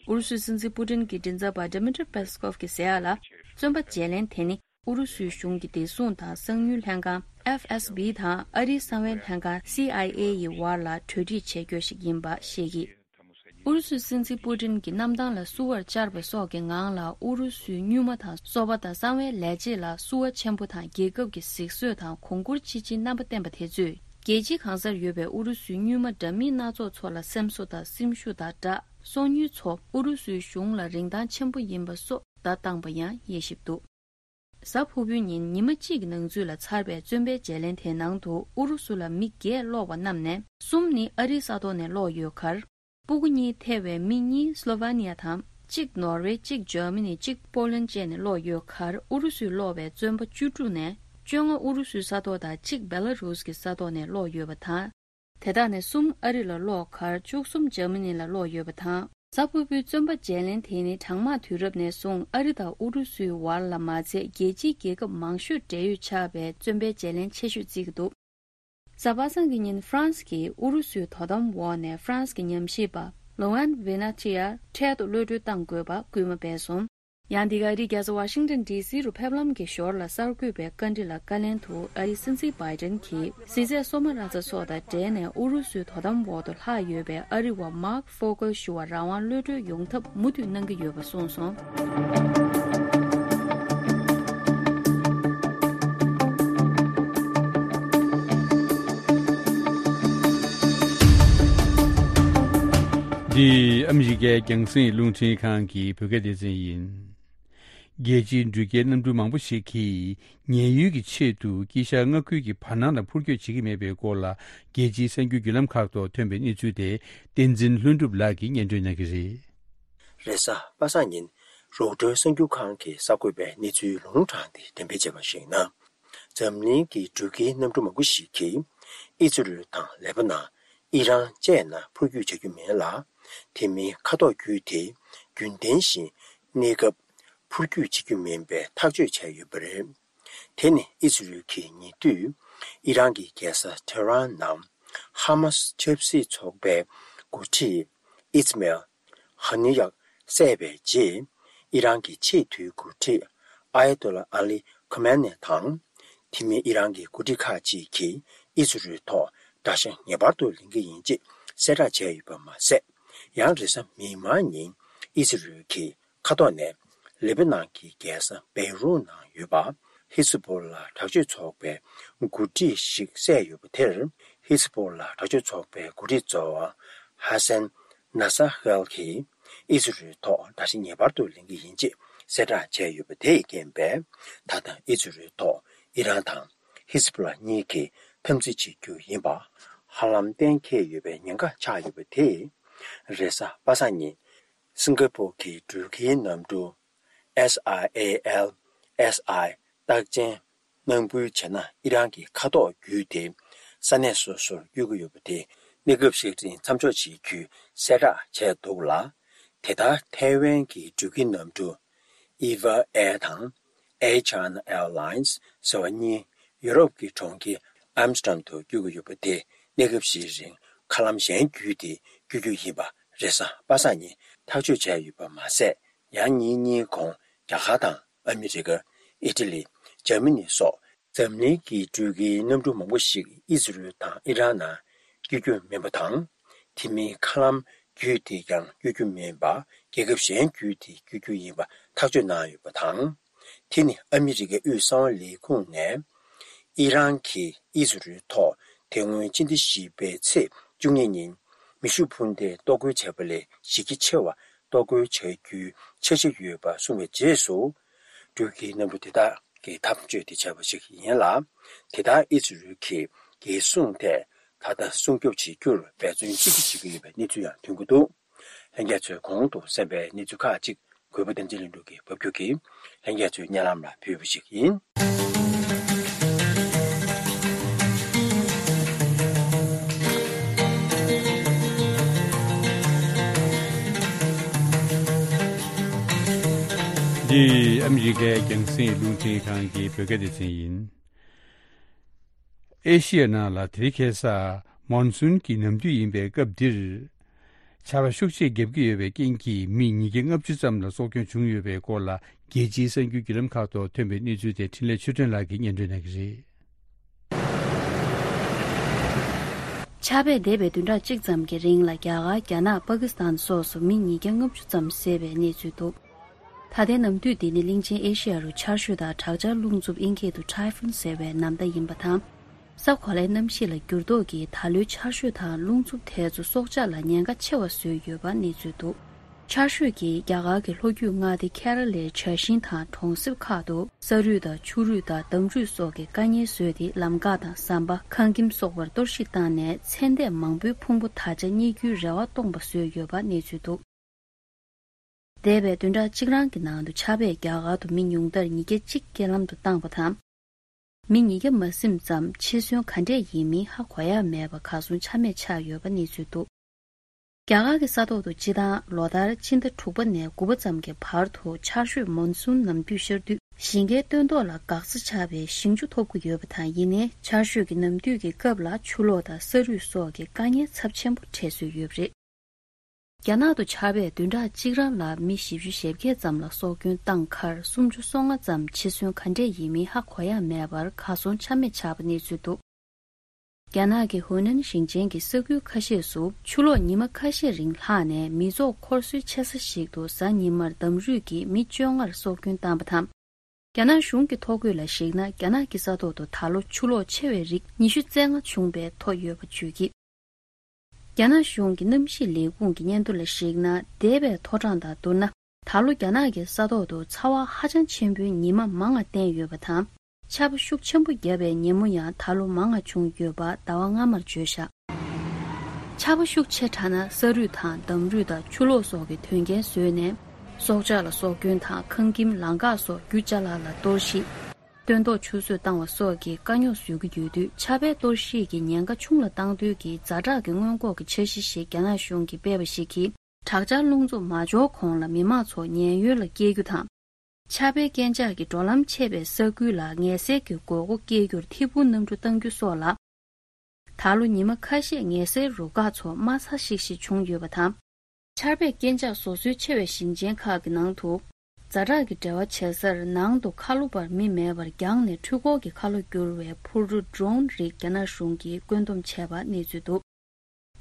ཨུ་རུ་སུའི་སྲིད་འཛིན་པུ་ཏིན་གྱི་མགྲིན་ཚབ་པ་Dmitry Peskov གྱིས་ཟེར་ཡག་ལ། བཙོན་པ་བརྗེ་ལེན་དེ་ནི་ཨུ་རུ་སུའི་གཞུང་གི་བདེ་སྲུང་དང་གསང་ཉུལ་ལྷན་ཁང་། ཨེཕ་ཨེས་བི་དང་ཨ་རིའི་གསང་བའི་ལྷན་ཁང་། སི་ཨའི་ཨེ་ཡི་བར་ལ་གྲོས་འགྲིག་བྱེད་རྒྱུ་ཞིག་ཡིན་པ་བཤད་ཀྱིས། ཨུ་རུ་སུའི་སྲིད་འཛིན་པུ་ཏིན་གྱིས་གནམ་ཐང་ལ་བསུ་བར་བཅར་བ་སོགས་ཀྱི་ངང་ལ། ཨུ་རུ་སུའི་སྨྱུག་མ་དང་སོ་པ་དང་གསང་བའི་ལས་བྱེད་ལ་བསུ་བ་ཆེན་པོ་དང་། རྒྱལ་ཁབ་ཀྱི་གཟིགས་བཟོས་དང་གོང་བཀུར་ཅི་ཆེའི་རྣམ་པ་བསྟན་པ་དེ་ཚོས། རྒྱལ་སྤྱིའི་གང་སར་ཡོད་པའི་ཨུ་རུ་སུའི་སྨྱུག་མ་འདྲ་མིན་སྣ་ཚོགས་ཚོ་ལ་སེམས་གསོ་དང་སེམས་ཤུགས་དང་སྦྲགས། སོ་ཉུལ་ཚོ་ཨུ་རུ་སུའི་གཞུང་ལ་རིན་ཐང་ཆེན་པོ་ཡིན་པ་སོགས་བརྡ་བཏང་པ་ཡང་དབྱེ་ཞིབ་འདུག། གཟའ་ཕུར་བུའི་ཉིན་ཉི་མ་གཅིག་གི་ནང་ཚུད་ལ་ཚར་བའི་བཙོན་པའི་བརྗེ་ལེན་དེའི་ནང་དུ། ཨུ་རུ་སུ་ལ་མི་བརྒྱད་སློག་པ་རྣམས་ནས་གསུམ་ནི་ཨ་རིའི་ས་ཐོག་ནས་སློག་ཡོད་ཁར། སྤུ་གུ་གཉིས་ཐེ་བའི་མི་གཉིས་སློ་ཝེ་ནི་ཡ་དང་། གཅིག་ནོར་ཝེ། གཅིག་འཇར་མ་ནི། གཅིག་པོ་ལན་བཅས་ནས་སློག་ཡོད་ཁར། ཨུ་རུ་སུས་སློག་པའི་བཙོན་པ་བཅུ་དྲུག་ནས་བཅོ་ལྔ་ཨུ་རུ་སུའི་ས་ཐོག་དང་། གཅིག་བེ་ལ་རུས་ཀྱི་ས་ཐོག་ནས་སློག་ཡོད་པ་དང་། དེ་དག་ནས་གསུམ་ཨ་རི་ལ་སློག་ཁར། བཅུ་གསུམ་འཇར་མ་ནི་ལ་སློག་ཡོད་པ་དང་། གཟའ་ཕུར་བུའི་བཙོན་པ་བརྗེ་ལེན་དེ་ནི་གྲང་དམག་དུས་རབས་ནས་བཟུང་ཨ་རི་དང་ཨུ་རུ་སུའི་བར་ལ་མ་ཚད། རྒྱལ་སྤྱིའི་རྒྱལ་ཁབ་མང་ཤོས་འབྲེལ་ཡོད་ཆགས་པའི་བཙོན་པའི་བརྗེ་ལེན་ཆེ་ཤོས་བརྩི་གི་འདུག། གཟའ་པ་སངས་ཀྱི་ཉིན་ཧྥ་རན་སི་གིས་ཨུ་རུ་སུའི་དོ་དམ་འོག་ནས་ཧྥ་རན་སི་གི་ཉམས་ཞིབ་པ་ལོ་ཝན་ཝེ་ན་ཐི་ཡར་འཕྲལ་དུ་གློད་གྲོལ་གཏང་དགོས་པ་སྐུལ་མ་སྤེལ་སོང་། ཡང་འདི་ག་ཨ་རིའི་རྒྱལ་ས་ཝ་ཤིང་ཏོན་ཌི་སི་རུ་ཕེབས་ལམ་གྱི་ཞོར་ལ་གསར་འགོད་པའི་བཀའ་འདྲི་ལ་བཀའ་ལན་དུ། ཨ་རིའི་སྲིད་འཛིན་བྷའི་ཏན་གྱིས་གཟི་རྫས་སོ་མ་ར་ཙ་སོགས་དང་འབྲེལ་ནས་ཨུ་རུ་སུའི་དོ་དམ་འོག་ཏུ་ལྷག་ཡོད་པའི་ཨ་རི་བ་མཱག་ཧྥོ་ཀལ་ཞུ་བར་རང་དབང་གློད་གྲོལ་ཡོང་ཐབས་མུ་མཐུད་གནང་གི་ཡོད་པ་གསུངས་སོང་། འདི་ཨ་མི་རི་ཀའི་རྒྱང་སྲིང་རླུང་འཕྲིན་ཁང་གི་བོད་སྐད་སྡེ་ཚན་ཡིན། རྒྱལ་སྤྱིའི་འགྲུལ་སྐྱེལ་གནམ་གྲུ་མང་པོ་ཞིག་གིས་ཉེན་གཡོལ་གྱི་ཆེད་དུ་དཀྱིལ་ཤར་མངའ་ཁུལ་གྱི་བར་སྣང་ལ་འཕུར་སྐྱོད་བྱེད་ཀྱི་མེད་པའི་སྐོར་ལ། རྒྱལ་སྤྱིའི་གསར་འགྱུར་བརྒྱུད་ལམ་ཁག་ཐོག་ཐོན་པའི་གནས་ཚུལ་དེ། བསྟན་འཛིན་ལྷུན་གྲུབ་ལགས་ཀྱིས་སྙན་སྒྲོན་གནང་གི་རེད། རེས་གཟའ་པ་སངས་ཉིན་རོའི་ཊར་གསར་འགྱུར་ཁང་གིས་གསར་འགོད་པའི་གནས་ཚུལ་ལུང་དྲངས་ཏེ་འགྲེམས་སྤེལ་བྱས་པར་གཞིགས་ན། འཛམ་གླིང་གི་འགྲུལ་སྐྱེལ་གནམ་གྲུ་མང་པོ་ཞིག་གིས་ཨི་ཛི་རལ་དང་ལེ་པ་ནན། ཨི་རན་བཅས་ནང་འཕུར་སྐྱོད་བྱ་རྒྱུ་མིན་ལ། དེ་མིན་མཁའ་ཐོག་བརྒྱུད་དེ་རྒྱུན་ལྡན་བཞིན་གནས་སྐབས་འཕུར་སྐྱོད་བྱེད་རྒྱུ་མིན་པའི་ཐག་གཅོད་བྱས་ཡོད་པ་རེད། དེ་ནི་ཨི་ཛི་རལ་གྱིས་ཉེ་དུས་ཨི་རན་གྱི་རྒྱལ་ས་ཐེ་རན་ནང་ཧ་མཱས་ཆབ་སྲིད་ཚོགས་པའི་འགོ་ཁྲིད་ཨིས་མེལ་ ཁ་ནི་ཡག་བསད་པའི་རྗེས། ཨི་རན་གྱི་ཆེས་མཐོའི་འགོ་ཁྲིད་ཨ་ཡ་ཏོ་ལ་ཨ་ལི་ཁོ་མེ་ནེ་དང་། དེ་མིན་ཨི་རན་གྱི་འགོ་ཁྲིད་ཁག་ཅིག་གིས་ཨི་ཟི་རེལ་ཐོག་དགྲ་ཤ་ངེས་པར་དུ་ལེན་གྱི་ཡིན་ཅེས་གསལ་བསྒྲགས་བྱས་ཡོད་པ་མ་ཟད། ཡང་རེས་གཟའ་མིག་དམར་ཉིན་ཨི་ཟི་རེལ་གྱིས་མཁའ་ཐོག་ནས་ལེ་པ་ནན་གྱི་རྒྱལ་ས་བེ་རུད་ནང་ཡོད་པ་ཧི་ཟི་པོ་ལ་དྲག་སྤྱོད་ཚོགས་པའི་འགོ་ཁྲིད་ཞིག་བསད་ཡོད་པ་དེར། ཧི་ཟི་པོ་ལ་དྲག་སྤྱོད་ཚོགས་པའི་འགོ་ཁྲིད་ཚོ་ཧ་སན་ན་ས་ཧེལ་གྱིས་ཨི་ཟི་རེལ་ཐོག་དགྲ་ཤ་ངེས་པར་དུ་ལེན་གྱི་ཡིན་ཅེས་གསལ་བསྒྲགས་བྱས་ཡོད་པ་དེས་རྐྱེན་པས། ད་ལྟ་ཨི་ཟི་རེལ་ཐོག་ཨི་རན་དང་ཧི་ཟི་པོ་ལ་གཉིས་ཀྱིས་འཐབ་འཛིང་བྱེད་རྒྱུ་ཡིན་པ་ཧ་ལམ་གཏན་འཁེལ་ཡོད་པའི་ཉེན་ཁ་ཆགས་ཡོད་པ་དེས། རེས་གཟའ་པ་སངས་ཉིན་སིང་ག་པོར་གྱི་འགྲུལ་སྐྱེལ་གནམ་གྲུ་ཨེས་ཨའི་ཨེ་ཨེལ་ཨེས་ཨའི་རྟགས་ཅན་གནང་འབུལ་བྱས་ན། ཨི་རན་གྱི་མཁའ་ཐོག་བརྒྱུད་དེ་ས་གནས་སོ་སོར་བསྐྱོད་ཀྱི་ཡོད་པ་དེ་གནས་སྐབས་ཤིག་རིང་མཚམས་འཇོག་བྱེད་རྒྱུའི་གསལ་བསྒྲགས་བྱས་འདུག་ལ། དེ་ལྟར་ཐའེ་ཝན་གྱི་འགྲུལ་སྐྱེལ་གནམ་གྲུ་Eva Air དང་Air China Airlines ཟེར་བ་གཉིས་ཡུ་རོབ་ཀྱི་གྲོང་ཁྱེར་ཨམ་སི་ཏྲམ་དུ་བསྐྱོད་ཀྱི་ཡོད་པ་དེ་གནས་སྐབས་ཤིག་རིང་མཁའ་ལམ་གཞན་བརྒྱུད་དེ་བསྐྱོད་རྒྱུ་ཡིན་པ་རེས་གཟའ་པ་སངས་ཉིན་ཐག་གཅོད་བྱས་ཡོད་པ་མ་ཟད། ཡང་ཉིན་གཉིས་གོང་རྒྱ་གར་དང་ཨ་མི་རི་ཀ། ཨི་ཊ་ལི། འཇར་མ་ནི་སོགས་འཛམ་གླིང་གི་འགྲུལ་སྐྱེལ་གནམ་གྲུ་མང་པོ་ཞིག་ཨི་ཟི་རེལ་དང་ཨི་རན་ནང་བསྐྱོད་རྒྱུ་མིན་པ་དང་། དེ་མིན་མཁའ་ལམ་བརྒྱུད་དེ་ཀྱང་བསྐྱོད་རྒྱུ་མིན་པ། རྒྱལ་ཁབ་གཞན་བརྒྱུད་དེ་བསྐྱོད་རྒྱུ་ཡིན་པ་ཐག་གཅོད་གནང་ཡོད་པ་དང་། དེ་ནི་ཨ་མི་རི་ཀའི་དབུས་གསང་བ་ལས་ཁུངས་ནས་ཨི་རན་གྱིས་ཨི་ཟི་རེལ་ཐོག་དེ་སྔོན་སྤྱི་ཟླ་བཞི་པའི་ཚེས་བཅུ་གཉིས་ཉིན་མེ་ཤུགས་འཕུར་མདེལ་གཏོར་རྒོལ་བྱས་པ་ལས་གཞི་རྒྱ་ཆེ་བ་གཏོར་རྒོལ་བྱ་རྒྱུའི་འཆར་གཞི་ཡོད་པ་གསུངས་པའི་རྗེས་སུ། འགྲུལ་སྐྱེལ་གནམ་གྲུ་དེ་དག་གི་འཐབ་རྩོད་དེ་བྱས་པ་ཞིག་ཡིན་ལ། དེ་ལྟར་ཨི་ཟི་རེལ་གྱིས་རྒྱལ་སྲུང་ཐད་ད་ལྟ་སྲུང་སྐྱོབ་བྱེད་རྒྱུར་འབད་བརྩོན་ཅི་ཐུབ་བྱེད་ཀྱི་ཡོད་པའི་གནས་ཚུལ་ཡང་ཐོན་གྱི་འདུག། ལྷན་རྒྱས་ཚོས་གོང་དུ་གསན་པའི་གནས་ཚུལ་ཁག་ཅིག་གུས་པ་བསྟན་འཛིན་ལྷུན་གྲུབ་ཀྱིས་ཕབ་སྒྱུར་གྱིས་ལྷན་རྒྱས་ཚོའི་སྙན་ལམ་ལ་ཕུལ་བ་ཞིག་ཡིན། འདི་ཨ་མི་རི་ཀའི་རྒྱང་སྲིང་རླུང་འཕྲིན་ཁང་གི་བོད་སྐད་སྡེ་ཚན་ཡིན། ཨེ་ཤི་ཡ་ནང་ལ་དེ་རིང་ཁ་སང་མོན་སུན་གྱི་ནམ་དུས་ཡིན་པའི་སྐབས་འདིར། ཆར་པ་ཤུགས་ཆེ་བརྒྱབ་ཀྱི་ཡོད་པའི་རྐྱེན་གྱིས་མི་ཉིས་བརྒྱ་ལྔ་བཅུ་ཙམ་ལ་སྲོག་སྐྱོན་བྱུང་ཡོད་པའི་སྐོར་ལ། རྒྱལ་སྤྱིའི་གསར་འགྱུར་བརྒྱུད་ལམ་ཁག་ཐོག་ཐོན་པའི་གནས་ཚུལ་དེ་འཕྲིན་ལས་ཆོས་སྒྲོན་ལགས་ཀྱིས་སྙན་སྒྲོན་གནང་གི་རེད། ཆར་པས་འདས་པའི་བདུན་ཕྲག་གཅིག་ཙམ་གྱི་རིང་ལ་རྒྱ་གར། རྒྱ་ནག་པ་ཀི་སི་ཐན་སོགས་སུ་མི་ཉིས་བརྒྱ་ལྔ་བཅུ་ཙམ་བསད་པའི་གནས་ཚུལ་འདུག། ད་ལྟའི་ནམ་དུས་འདི་ནི་གླིང་ཆེན་ཨེ་ཤི་ཡ་རུ་ཆར་ཞོད་དང་དྲག་ཆར་རླུང་འཚུབ། དབྱིན་སྐད་དུ་Typhoon ཟེར་བའི་ནམ་ཟླ་ཡིན་པ་དང་། ས་གོ་ལའི་གནམ་གཤིས་ལ་འགྱུར་ལྡོག་གིས་ད་ལོའི་ཆར་ཞོད་དང་རླུང་འཚུབ་དེ་ཚོ་སྲོག་ཆགས་ལ་ཉེན་ཁ་ཆེ་བ་བཟོས་ཡོད་པ་གནས་ཚུལ་འདུག། ཆར་ཞོད་ཀྱིས་རྒྱ་གར་གྱི་ལྷོ་རྒྱུད་མངའ་སྡེ་ཁེ་ར་ལའི་བྱ་ཤིང་དང་གྲོང་གསེབ་ཁག་ཏུ་ས་རུད་དང་ཆུ་རུད་དང་འདམ་རུད་སོགས་ཀྱི་དཀའ་ངལ་བཟོས་ཏེ། ལམ་འགག་དང་ཟམ་པ། ཁང་ཁྱིམ་སོགས་པར་གཏོར་བཤིག་བཏང་ནས། ཚེ་འདས་མང་པོའི་ཕུང་པོ་ད་ཆ་རྙེད་རྒྱུའི་རེ་བ་སྟོངས་པ་བཟོས་ཡོད་པ་གནས་ཚུལ་འདུག། འདས་པའི་བདུན་ཕྲག་གཅིག་རང་གི་ནང་དུ་ཆར་པས་རྒྱ་གར་དུ་མི་ཉུང་མཐར་ཉིས་བརྒྱ་གཅིག་རྐྱེན་ལམ་དུ་བཏང་བ་དང་། མི་ཉིས་བརྒྱ་མ་ཟིན་ཙམ་འཆི་གསོན་ག་འདྲས་ཡིན་མིན་ཧ་གོ་ཡ་མེད་པ་གར་སོང་ཆ་མེད་ཆགས་ཡོད་པ་གནས་ཚུལ་འདུག། རྒྱ་གར་གྱི་ས་ཐོག་ཏུ་སྤྱི་བཏང་ལོ་ལྟར་ཕྱི་ཟླ་དྲུག་པ་ནས་དགུ་པ་ཙམ་གྱི་བར་དུ་ཆར་ཞོད་མོན་སུན་ནམ་དུས་ཤར་དུས་ཞིང་ཁའི་སྟོན་ཐོག་ལ་འགག་རྩ་ཆགས་པའི་ཞིང་ཆུ་ཐོབ་ཀྱི་ཡོད་པ་དང་། ཡིན་ནའི་ཆར་ཞོད་ཀྱི་ནམ་དུས་ཀྱི་སྐབས་ལ་ཆུ་ལོག་དང་ས་རུད་སོགས་ཀྱི་དཀའ་ངལ་ཚབས་ཆེན་པོ་འཕྲད་སྲོལ་ཡོད་པ་རེད། རྒྱ་ནག་ཏུ་ཆར་པས་བདུན་ཕྲག་གཅིག་རང་ལ་མི་བཞི་བཅུ་ཞེ་བརྒྱད་ཙམ་ལ་སྲོག་སྐྱོན་བཏང་ཁར། སུམ་ཅུ་སོ་ལྔ་ཙམ་འཆི་གསོན་ག་འདྲས་ཡིན་མིན་ཧ་གོ་ཡ་མེད་པར་གར་སོང་ཆ་མེད་ཆགས་པ་གནས་ཚུལ་འདུག། རྒྱ་ནག་གི་ཧུའུ་ནན་ཞིང་ཆེན་གྱི་ས་ཁུལ་ཁ་ཤས་སུ་ཆུ་ལོག་ཉི་མ་ཁ་ཤས་རིང་ལྷགས་ནས་མི་ཚོགས་འཁོར་སྲོལ་ཆེ་ས་ཞིག་ཏུ་གཟའ་ཉི་མར་འདམ་རུད་ཀྱིས་མི་བཅོ་ལྔར་སྲོག་སྐྱོན་བཏང་བ་དང་། རྒྱ་ནག་གཞུང་གི་ཐོ་འགོད་ལ་གཞིགས་ན། རྒྱ་ནག་གི་ས་ཐོག་ཏུ་ད་ལོ་ཆུ་ལོག་ཆེ་བའི་རིགས་ཉི་ཤུ་རྩ་ལྔ་བྱུང་བའི་ཐོ་ཡོད་པ་བརྗོད་ཀྱིས། རྒྱ་ནག་གཞུང་གི་གནམ་གཤིས་ལས་ཁུངས་ཀྱི་སྙན་ཐོ་ལ་གཞིགས་ན། འདས་པའི་ཐོ་གྲངས་དང་བསྡུར་ན། ད་ལོ་རྒྱ་ནག་གི་ས་ཐོག་ཏུ་ཚ་བ་ཧ་ཅང་ཆེན་པོའི་ཉི་མ་མང་བ་བསྟན་ཡོད་པ་དང་། ཆར་པ་ཤུགས་ཆེན་པོ་བརྒྱབ་པའི་ཉིན་མོ་ཡང་ད་ལོ་མང་བ་བྱུང་ཡོད་པ་ཟླ་བ་སྔ་མར་བརྗོད་བཞག། ཆར་པ་ཤུགས་ཆེ་དྲགས་ན་ས་རུད་དང་འདམ་རུད་དང་ཆུ་ལོག་སོགས་ཀྱི་དོན་རྐྱེན་བཟོས་ནས། སྲོག་ཆགས་ལ་སྲོག་སྐྱོན་དང་། ཁང་ཁྱིམ་ལམ་འགག་སོགས་རྒྱུ་ཅ་ལག་ལ་གཏོར་བཤིག། སྟོན་ཐོག་ཆུད་ཟོས་བཏང་བ་སོགས་ཀྱི་དཀའ་རྙོག་བཟོ་གི་ཡོད་དུས། ཆར་པའི་གཏོར་བཤིག་གི་ཉེན་ཁ་ཆུང་ལ་གཏང་འདོད་ཀྱི་ཛ་དྲག་གི་སྔོན་འགོག་གི་འཆར་གཞི་ཞིག་རྒྱ་ནག་གཞུང་གིས་སྤེལ་བ་ཞིག་གིས། དྲག་ཆར་རླུང་འཚུབ་མ་འབྱོར་གོང་ལ་མི་མང་ཚོ་ཉེན་གཡོལ་ལ་བསྐྱལ་རྒྱུ་དང་། ཆར་པའི་རྐྱེན་ཆག་གིས་འགྲོ་ལམ་ཆད་པའི་ས་ཁུལ་ལ་ངལ་སེལ་གྱི་དགོས་མཁོ་སྐྱེ་རྒྱུར་ཐད་འཕུར་གནམ་གྲུ་གཏང་རྒྱུ་སོགས་ལ། ད་ལོ་ཉི་མ་ཁ་ཤས་ངལ་སེལ་རུ་ཁག་ཚོ་དམའ་ཚགས་ཤིག་ཤིག་བྱུང་ཡོད་པ་དང་། ཆར་པས་རྐྱེན་ཆག་བཟོ་སྲོལ་ཆེ་བའི་ཞིང་ཆེན་ཁག་གི་ནང་དུ། ཛ་དྲག་གི་འབྲེལ་བ་བྱེད་སར་ནང་དུ་ཁ་ལོ་བར་མི་མེད་པར་བརྒྱངས་ནས་འཕྲུལ་འཁོར་གྱི་ཁ་ལོ་བསྒྱུར་བའི་འཕུར་གྲུ་ཌྲོན་རིགས་རྒྱ་ནག་གཞུང་གིས་བཀོད་འདོམས་བྱས་པ་གནས་ཚུལ་འདུག་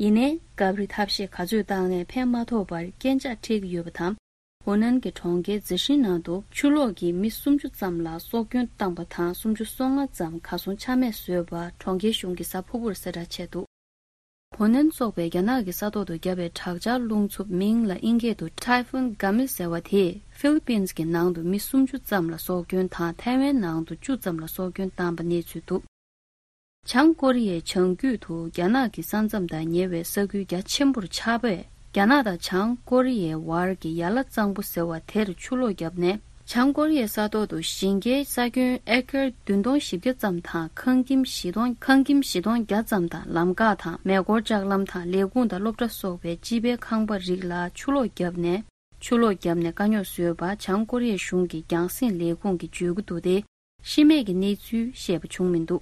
ཡིན་ནའི་སྐབས་རེ་ཐབས་ཤེས་ག་ཚོད་བཏང་ནའི་ཕན་མ་ཐོགས་པར་རྐྱེན་ཆག་འཕྲད་ཀྱི་ཡོད་པ་དང་། ཧོ་ནན་གྱི་གྲོང་ཁྱེར་ཛི་ཧྲིན་ནང་དུ་ཆུ་ལོག་གིས་མི་སུམ་ཅུ་ཙམ་ལ་སྲོག་སྐྱོན་བཏང་པ་དང་། སུམ་ཅུ་སོ་ལྔ་ཙམ་གར་སོང་ཆ་མེད་བཟོས་པ་གྲོང་ཁྱེར་གཞུང་གིས་གཟའ་ཕུར་བུར་གསལ་བསྒྲགས་བྱས་འདུག་ཧོ་ནན་སོགས་པའི་རྒྱ་ནག་གི་ས་ཐོག་ཏུ་བརྒྱབ་པའི་དྲག་ཆར་རླུང་འཚུབ་མིང་ལ་དབྱིན་སྐད་དུ་Typhoon Gamis ཟེར་བ་དེས་ཧྥི་ལི་པིན་གྱི་ནང་དུ་མི་སུམ་ཅུ་ཙམ་ལ་སྲོག་སྐྱོན་དང་། ཐའེ་ཝན་ནང་དུ་བཅུ་ཙམ་ལ་སྲོག་སྐྱོན་བཏང་པ་གནས་ཚུལ་འདུག་བྱང་ཀོ་རི་ཡའི་བྱང་རྒྱུད་དུ་རྒྱ་ནག་གི་ས་མཚམས་དང་ཉེ་བའི་ས་ཁུལ་རྒྱ་ཆེན་པོར་ཆར་པས་རྒྱ་ནག་དང་བྱང་ཀོ་རི་ཡའི་བར་གྱི་ཡ་ལ་གཙང་པོ་ཟེར་བ་དེར་ཆུ་ལོག་བརྒྱབ་ནས། བྱང་ཀོ་རི་ཡའི་ས་ཐོག་ཏུ་ཞིང་ཁའི་ས་ཁྱོན་ཨེ་ཀར་བདུན་སྟོང་བཞི་བརྒྱ་ཙམ་དང་། ཁང་ཁྱིམ་བཞི་སྟོང་ཁང་ཁྱིམ་བཞི་སྟོང་བརྒྱ་ཙམ་དང་། ལམ་འགག་དང་མེ་འཁོར་ལྕགས་ལམ་དང་ལས་ཁུངས་དང་སློབ་གྲྭ་སོགས་པའི་སྤྱི་པའི་ཁང་པ་རིགས་ལ་ཆུ་ལོག་བརྒྱབ་ནས། ཆུ་ལོག་བརྒྱབ་ནས་དཀའ་རྙོག་བཟོས་པ་བྱང་ཀོ་རི་ཡའི་གཞུང་གི་རྒྱང་སྲིང་ལས་ཁུངས་ཀྱིས་བརྗོད་ཀྱི་འདུག་སྟེ། ཤི་རྨས་ཀྱི་གནས་ཚུལ་བཤད་པ་བྱུང་མི་འདུག་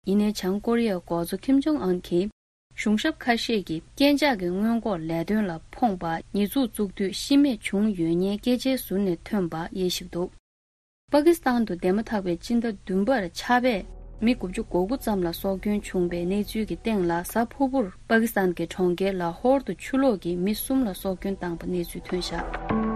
ཡིན་ནའི་བྱང་ཀོ་རི་ཡའི་འགོ་གཙོ་ཁིམ་ཇོང་ཨན་གྱིས། གཞུང་ཞབས་ཁ་ཤས་ཀྱིས་རྐྱེན་ཆག་གི་སྔོན་འགོག་ལས་དོན་ལ་ཕོངས་པ། ཉེས་འཛུགས་བཙུགས་དུས་ཤི་རྨས་བྱུང་ཡོད་ཉེན་སྐད་ཆའི་ཟུར་ནས་ཐོན་པ་དབྱེ་ཞིབ་འདུག་པ་ཀི་སི་ཐན་དུ་འདས་མ་ཐག་པའི་སྤྱི་ཟླ་བདུན་པར་ཆར་པས་མི་དགུ་བཅུ་གོ་དགུ་ཙམ་ལ་སྲོག་སྐྱོན་བྱུང་བའི་གནས་ཚུལ་གྱི་སྟེང་ལ། གཟའ་ཕུར་བུར་པ་ཀི་སི་ཐན་གྱི་གྲོང་ཁྱེར་ལ་ཧོར་དུ་ཆུ་ལོག་གིས་མི་གསུམ་ལ་སྲོག་སྐྱོན་བཏང་པ་གནས་ཚུལ་ཐོན་བཞག་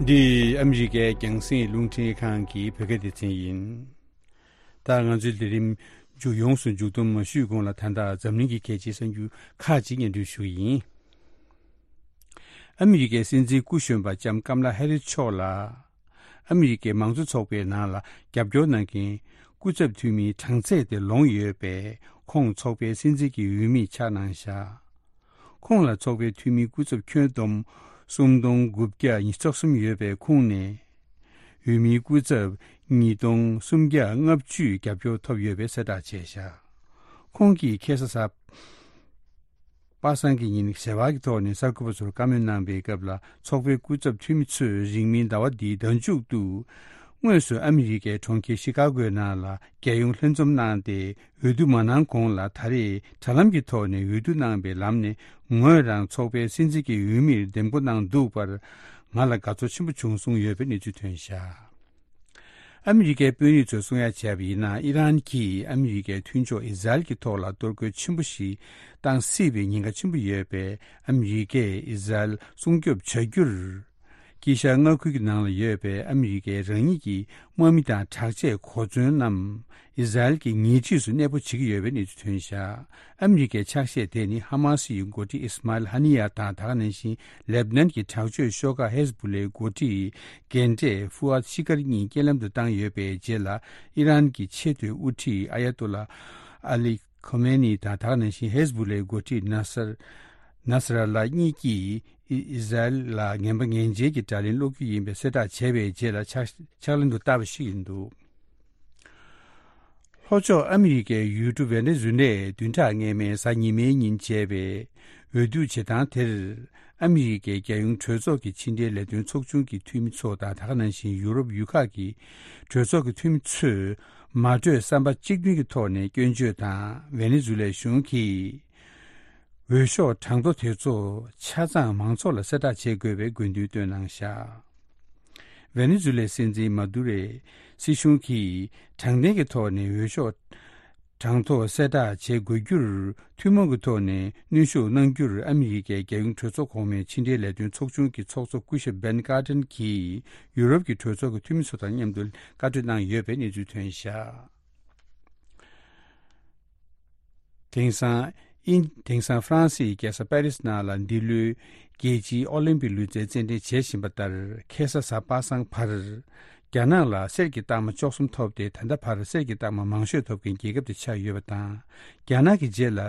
འདི་ཨ་མི་རི་ཀའི་རྒྱང་སྲིང་རླུང་འཕྲིན་ཁང་གི་བོད་སྐད་སྡེ་ཚན་ཡིན། ད་ང་ཚོའི་ལས་རིམ་མཇུག་ཡོངས་སུ་མཇུག་བསྡོམས་མ་ཞུས་གོང་ལ། ད་ལྟ་འཛམ་གླིང་གི་གལ་ཆེའི་གསར་འགྱུར་ཁག་ཅིག་སྙན་སྒྲོན་ཞུ་གི་ཡིན། ཨ་མི་རི་ཀའི་སྲིད་འཛིན་སྐུ་གཞོན་པ་ལྕམ་ཀམ་ལ་ཧེ་རི་མཆོག་ལ། ཨ་མི་རི་ཀའི་མང་གཙོ་ཚོགས་པའི་ནང་ལ་རྒྱབ་སྐྱོར་གནང་མཁན་སྐུ་ཚབ་འཐུས་མིའི་གྲངས་ཚད་དེ་ལོངས་ཡོད་པས། ཁོང་ཚོགས་པའི་སྲིད་འཛིན་གྱི་འོས་མིར་ཆགས་གནང་བཞག་ཁོང་ལ་ཚོགས་པའི་འཐུས་མི་སྐུ་ཚབ་ཁྱོན་བསྡོམས་སུམ་སྟོང་དགུ་བརྒྱ་ཉི་ཤུ་རྩ་གསུམ་ཡོད་པའི་ཁོངས་ནས། འོས་མིའི་སྐུ་ཚབ་ཉིས་སྟོང་སུམ་བརྒྱ་ལྔ་བཅུས་རྒྱབ་སྐྱོར་ཐོབ་ཡོད་པའི་གསལ་བསྒྲགས་བྱས་བཞག་ཁོང་གིས་ཁ་སང་གཟའ་པ་སངས་ཀྱི་ཉིན་ཞལ་པར་གྱི་ཐོག་ནས་གསར་འགོད་པ་ཚོར་བཀའ་མོལ་གནང་པའི་སྐབས་ལ། ཚོགས་པའི་སྐུ་ཚབ་འཐུས་མི་ཚོས་རིང་མིན་ཟླ་བ་འདིའི་ཟླ་མཇུག་ཏུ། དངོས་སུ་ཨ་མི་རི་ཀའི་གྲོང་ཁྱེར་ཤི་ཀ་གོའི་ནང་ལ་རྒྱལ་ཡོངས་ལྷན་འཛོམས་གནང་སྟེ། འོས་བསྡུ་མ་གནང་གོང་ལ། ད་རེས་དྲ་ལམ་གྱི་ཐོག་ནས་འོས་བསྡུ་གནང་བའི་ལམ་ནས། ངོས་རང་ཚོགས་པའི་སྲིད་འཛིན་གྱི་འོས་མིར་འདེམས་བསྐོ་གནང་འདུག་པར། ང་ལ་དགའ་ཚོར་ཆེན་པོ་བྱུང་གསུངས་ཡོད་པའི་གནས་ཚུལ་ཐོན་བཞག་ཨ་མི་རི་ཀའི་དཔོན་རིགས་ཚོས་གསུང་ཡ་བྱས་པ་ཡིན་ན། ཨི་རན་གྱིས་ཨ་མི་རི་ཀའི་མཐུན་ཕྱོགས་ཨི་ཟ་རེལ་གྱི་ཐོག་ལ་གཏོར་རྒོལ་ཆེན་པོ་ཞིག་བཏང་སྲིད་པའི་ཉེན་ཁ་ཆེན་པོ་ཡོད་པས། ཨ་མི་རི་ཀས་ཨི་ཟ་རེལ་སྲུང་སྐྱོབ་བྱ་རྒྱུར། དཀྱིལ་ཤར་མངའ་ཁུལ་གྱི་ནང་ལ་ཡོད་པའི་ཨ་མི་རི་ཀའི་རང་ཉིད་ཀྱི་དམག་མི་དང་དྲག་ཆས་གོ་མཚོན་རྣམས་ཨི་ཟ་རེལ་གྱི་ཉེ་འཁྲིས་སུ་གནས་སྤོ་བྱེད་ཀྱི་ཡོད་པའི་གནས་ཚུལ་ཐོན་བཞག་ཨ་མི་རི་ཀའི་ཕྱག་བཞེས་དེ་ནི་ཧ་མ་སི་ཡི་འགོ་ཁྲིད་ཨིས་མཱ་ཨེལ་ཧ་ནི་ཡ་དང་། ད་ག་ནང་བཞིན་ལེབ་ནན་གྱི་དྲག་སྤྱོད་ཤོག་ཁག་ཧེ་ཟ་བུ་ལའི་འགོ་ཁྲིད་རྒན་གྲས་ཧྥུ་ཨད་ཤི་ཀར་གཉིས་རྐྱེན་ལམ་དུ་བཏང་ཡོད་པའི་རྗེས་ལ། ཨི་རན་གྱི་ཆེས་མཐོའི་དབུ་ཁྲིད་ཨ་ཡ་ཏོ་ལ་ཨ་ལི་ཁོ་མེ་ནི་དང་། ད་ག་ནང་བཞིན་ཧེ་ཟ་བུ་ལའི་འགོ་ཁྲིད་ནཱ་སར་ནཱ་སར་ཨལ་ལ་གཉིས་ཀྱིས་ཨི་ཨི་ཟ་རེལ་ལ་ངན་པ་ངན་འཇལ་གྱི་དྲག་ལན་སློག་རྒྱུ་ཡིན་པའི་གསལ་བསྒྲགས་བྱས་པའི་རྗེས་ལ། ཕྱག་ཕྱག་ལེན་དུ་བསྟར་བ་ཞིག་ཡིན་འདུག་ལྷོ་ཕྱོགས་ཨ་མི་རི་ཀའི་ཡུལ་གྲུ་ཝེ་ནེ་ཛུ་ལའི་བདུན་ཕྲག་སྔ་མའི་གཟའ་ཉི་མའི་ཉིན་བྱས་པའི་འོས་བསྡུ་བྱེད་སྟངས་དེར། ཨ་མི་རི་ཀའི་རྒྱལ་ཡོངས་གྲོས་ཚོགས་ཀྱི་ཕྱི་འབྲེལ་ལས་དོན་ཚོགས་ཆུང་གི་འཐུས་མི་ཚོ་དང་། ད་ག་ནང་བཞིན་ཡུ་རོབ་ཡུལ་ཁག་གི་གྲོས་ཚོགས་ཀྱི་འཐུས་མི་ཚོས་མ་གྲོས་བསམ་པ་གཅིག་མཐུན་གྱི་ཐོག་ནས་སྐྱོན་བརྗོད་དང་། ཝེ་ནེ་ཛུ་ལའི་གཞུང་གིས་འོས་ཤོག་གྲངས་ཐོ་དེ་ཚོ་ཆ་ཚང་མང་ཚོགས་ལ་གསལ་བསྒྲགས་བྱེད་དགོས་པའི་དགོས་འདུན་བཏོན་གནང་བཞག་ཝེ་ནེ་ཛུ་ལའི་སྲིད་འཛིན་མ་དུ་རོའི་སྲིད་གཞུང་གིས་དྲང་བདེན་གྱི་ཐོག་ནས་འོས་ཤོག་གྲངས་ཐོ་གསལ་བསྒྲགས་བྱེད་དགོས་རྒྱུར་ཐུན་མོང་གི་ཐོག་ནས་གནོན་ཤུགས་གནང་རྒྱུར། ཨ་མི་རི་ཀའི་རྒྱལ་ཡོངས་གྲོས་ཚོགས་གོང་མའི་ཕྱི་འབྲེལ་ལས་དོན་ཚོགས་ཆུང་གི་ཚོགས་གཙོ་སྐུ་ཞབས་བྷེན་ཀར་ཏན་གྱིས་ཡུ་རོབ་ཀྱི་གྲོས་ཚོགས་ཀྱི་འཐུས་མི་ཚོ་དང་མཉམ་དུ་བཀའ་གྲོས་གནང་ཡོད་པའི་གནས་ཚུལ་ཐོན་བཞག་དེང་སང་ཨིན། དེང་སང་ཧྥ་རན་སིའི་རྒྱལ་ས་པེ་རིས་ནང་ལ་འདི་ལོའི་རྒྱལ་སྤྱིའི་ཨོ་ལིམ་པིག་ལུས་རྩལ་རྩེད་འགྲན་བྱེད་བཞིན་པ་ལྟར། ཁ་སང་གཟའ་པ་སངས་བར་རྒྱ་ནག་ལ་གསེར་གྱི་རྟགས་མ་བཅུ་གསུམ་ཐོབ་སྟེ། ད་ལྟ་བར་གསེར་གྱི་རྟགས་མ་མང་ཤོས་ཐོབ་མཁན་རྒྱལ་ཁབ་དེ་ཆགས་ཡོད་པ་དང་། རྒྱ་ནག་གི་རྗེས་ལ་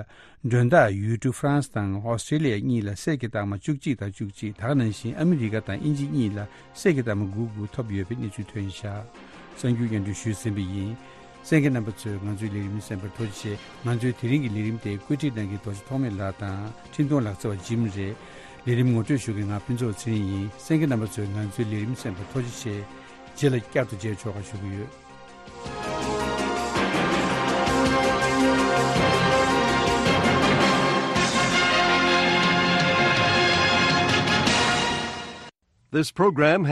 མགྲོན་བདག་ཡུལ་གྲུ་ཧྥ་རན་སི་དང་ཨོ་སི་ཀྲི་ལི་ཡ་གཉིས་ལ་གསེར་གྱི་རྟགས་མ་བཅུ་གཅིག་དང་བཅུ་གཅིག་ད་ག་ནང་བཞིན་ཨ་མི་རི་ཀ་དང་དབྱིན་ཇི་གཉིས་ལ་གསེར་གྱི་རྟགས་མ་དགུ་དགུ་ཐོབ་ཡོད་པའི་གནས་ཚུལ་ཐོན་བཞག་གསར་འགྱུར་སྙན་སྒྲོན་ཞུས་ཟིན་པ་ཡིན། གསན་མཁན་རྣམ་པ་ཚོས་ང་ཚོའི་ལས་རིམ་གསན་པར་ཐུགས་རྗེ་ཆེ། ང་ཚོའི་དེ་རིང་གི་ལས་རིམ་དེ་བཀོད་སྒྲིག་གནང་མཁན་རྡོ་རྗེ་ཐོགས་མེད་ལགས་དང་འཕྲིན་གཏོང་ལག་རྩལ་བ་ཇིམ་རེད། ལས་རིམ་ངོ་སྤྲོད་ཞུ་མཁན་ང་ཕུན་ཚོགས་ཚེ་རིང་ཡིན། གསན་མཁན་རྣམ་པ་ཚོས་ང་ཚོའི་ལས་རིམ་གསན་པར་ཐུགས་རྗེ་ཆེ། རྗེས་ལ་བསྐྱར་དུ་མཇལ་ཆོག་པ་ཞུ་གི་ཡོད། This program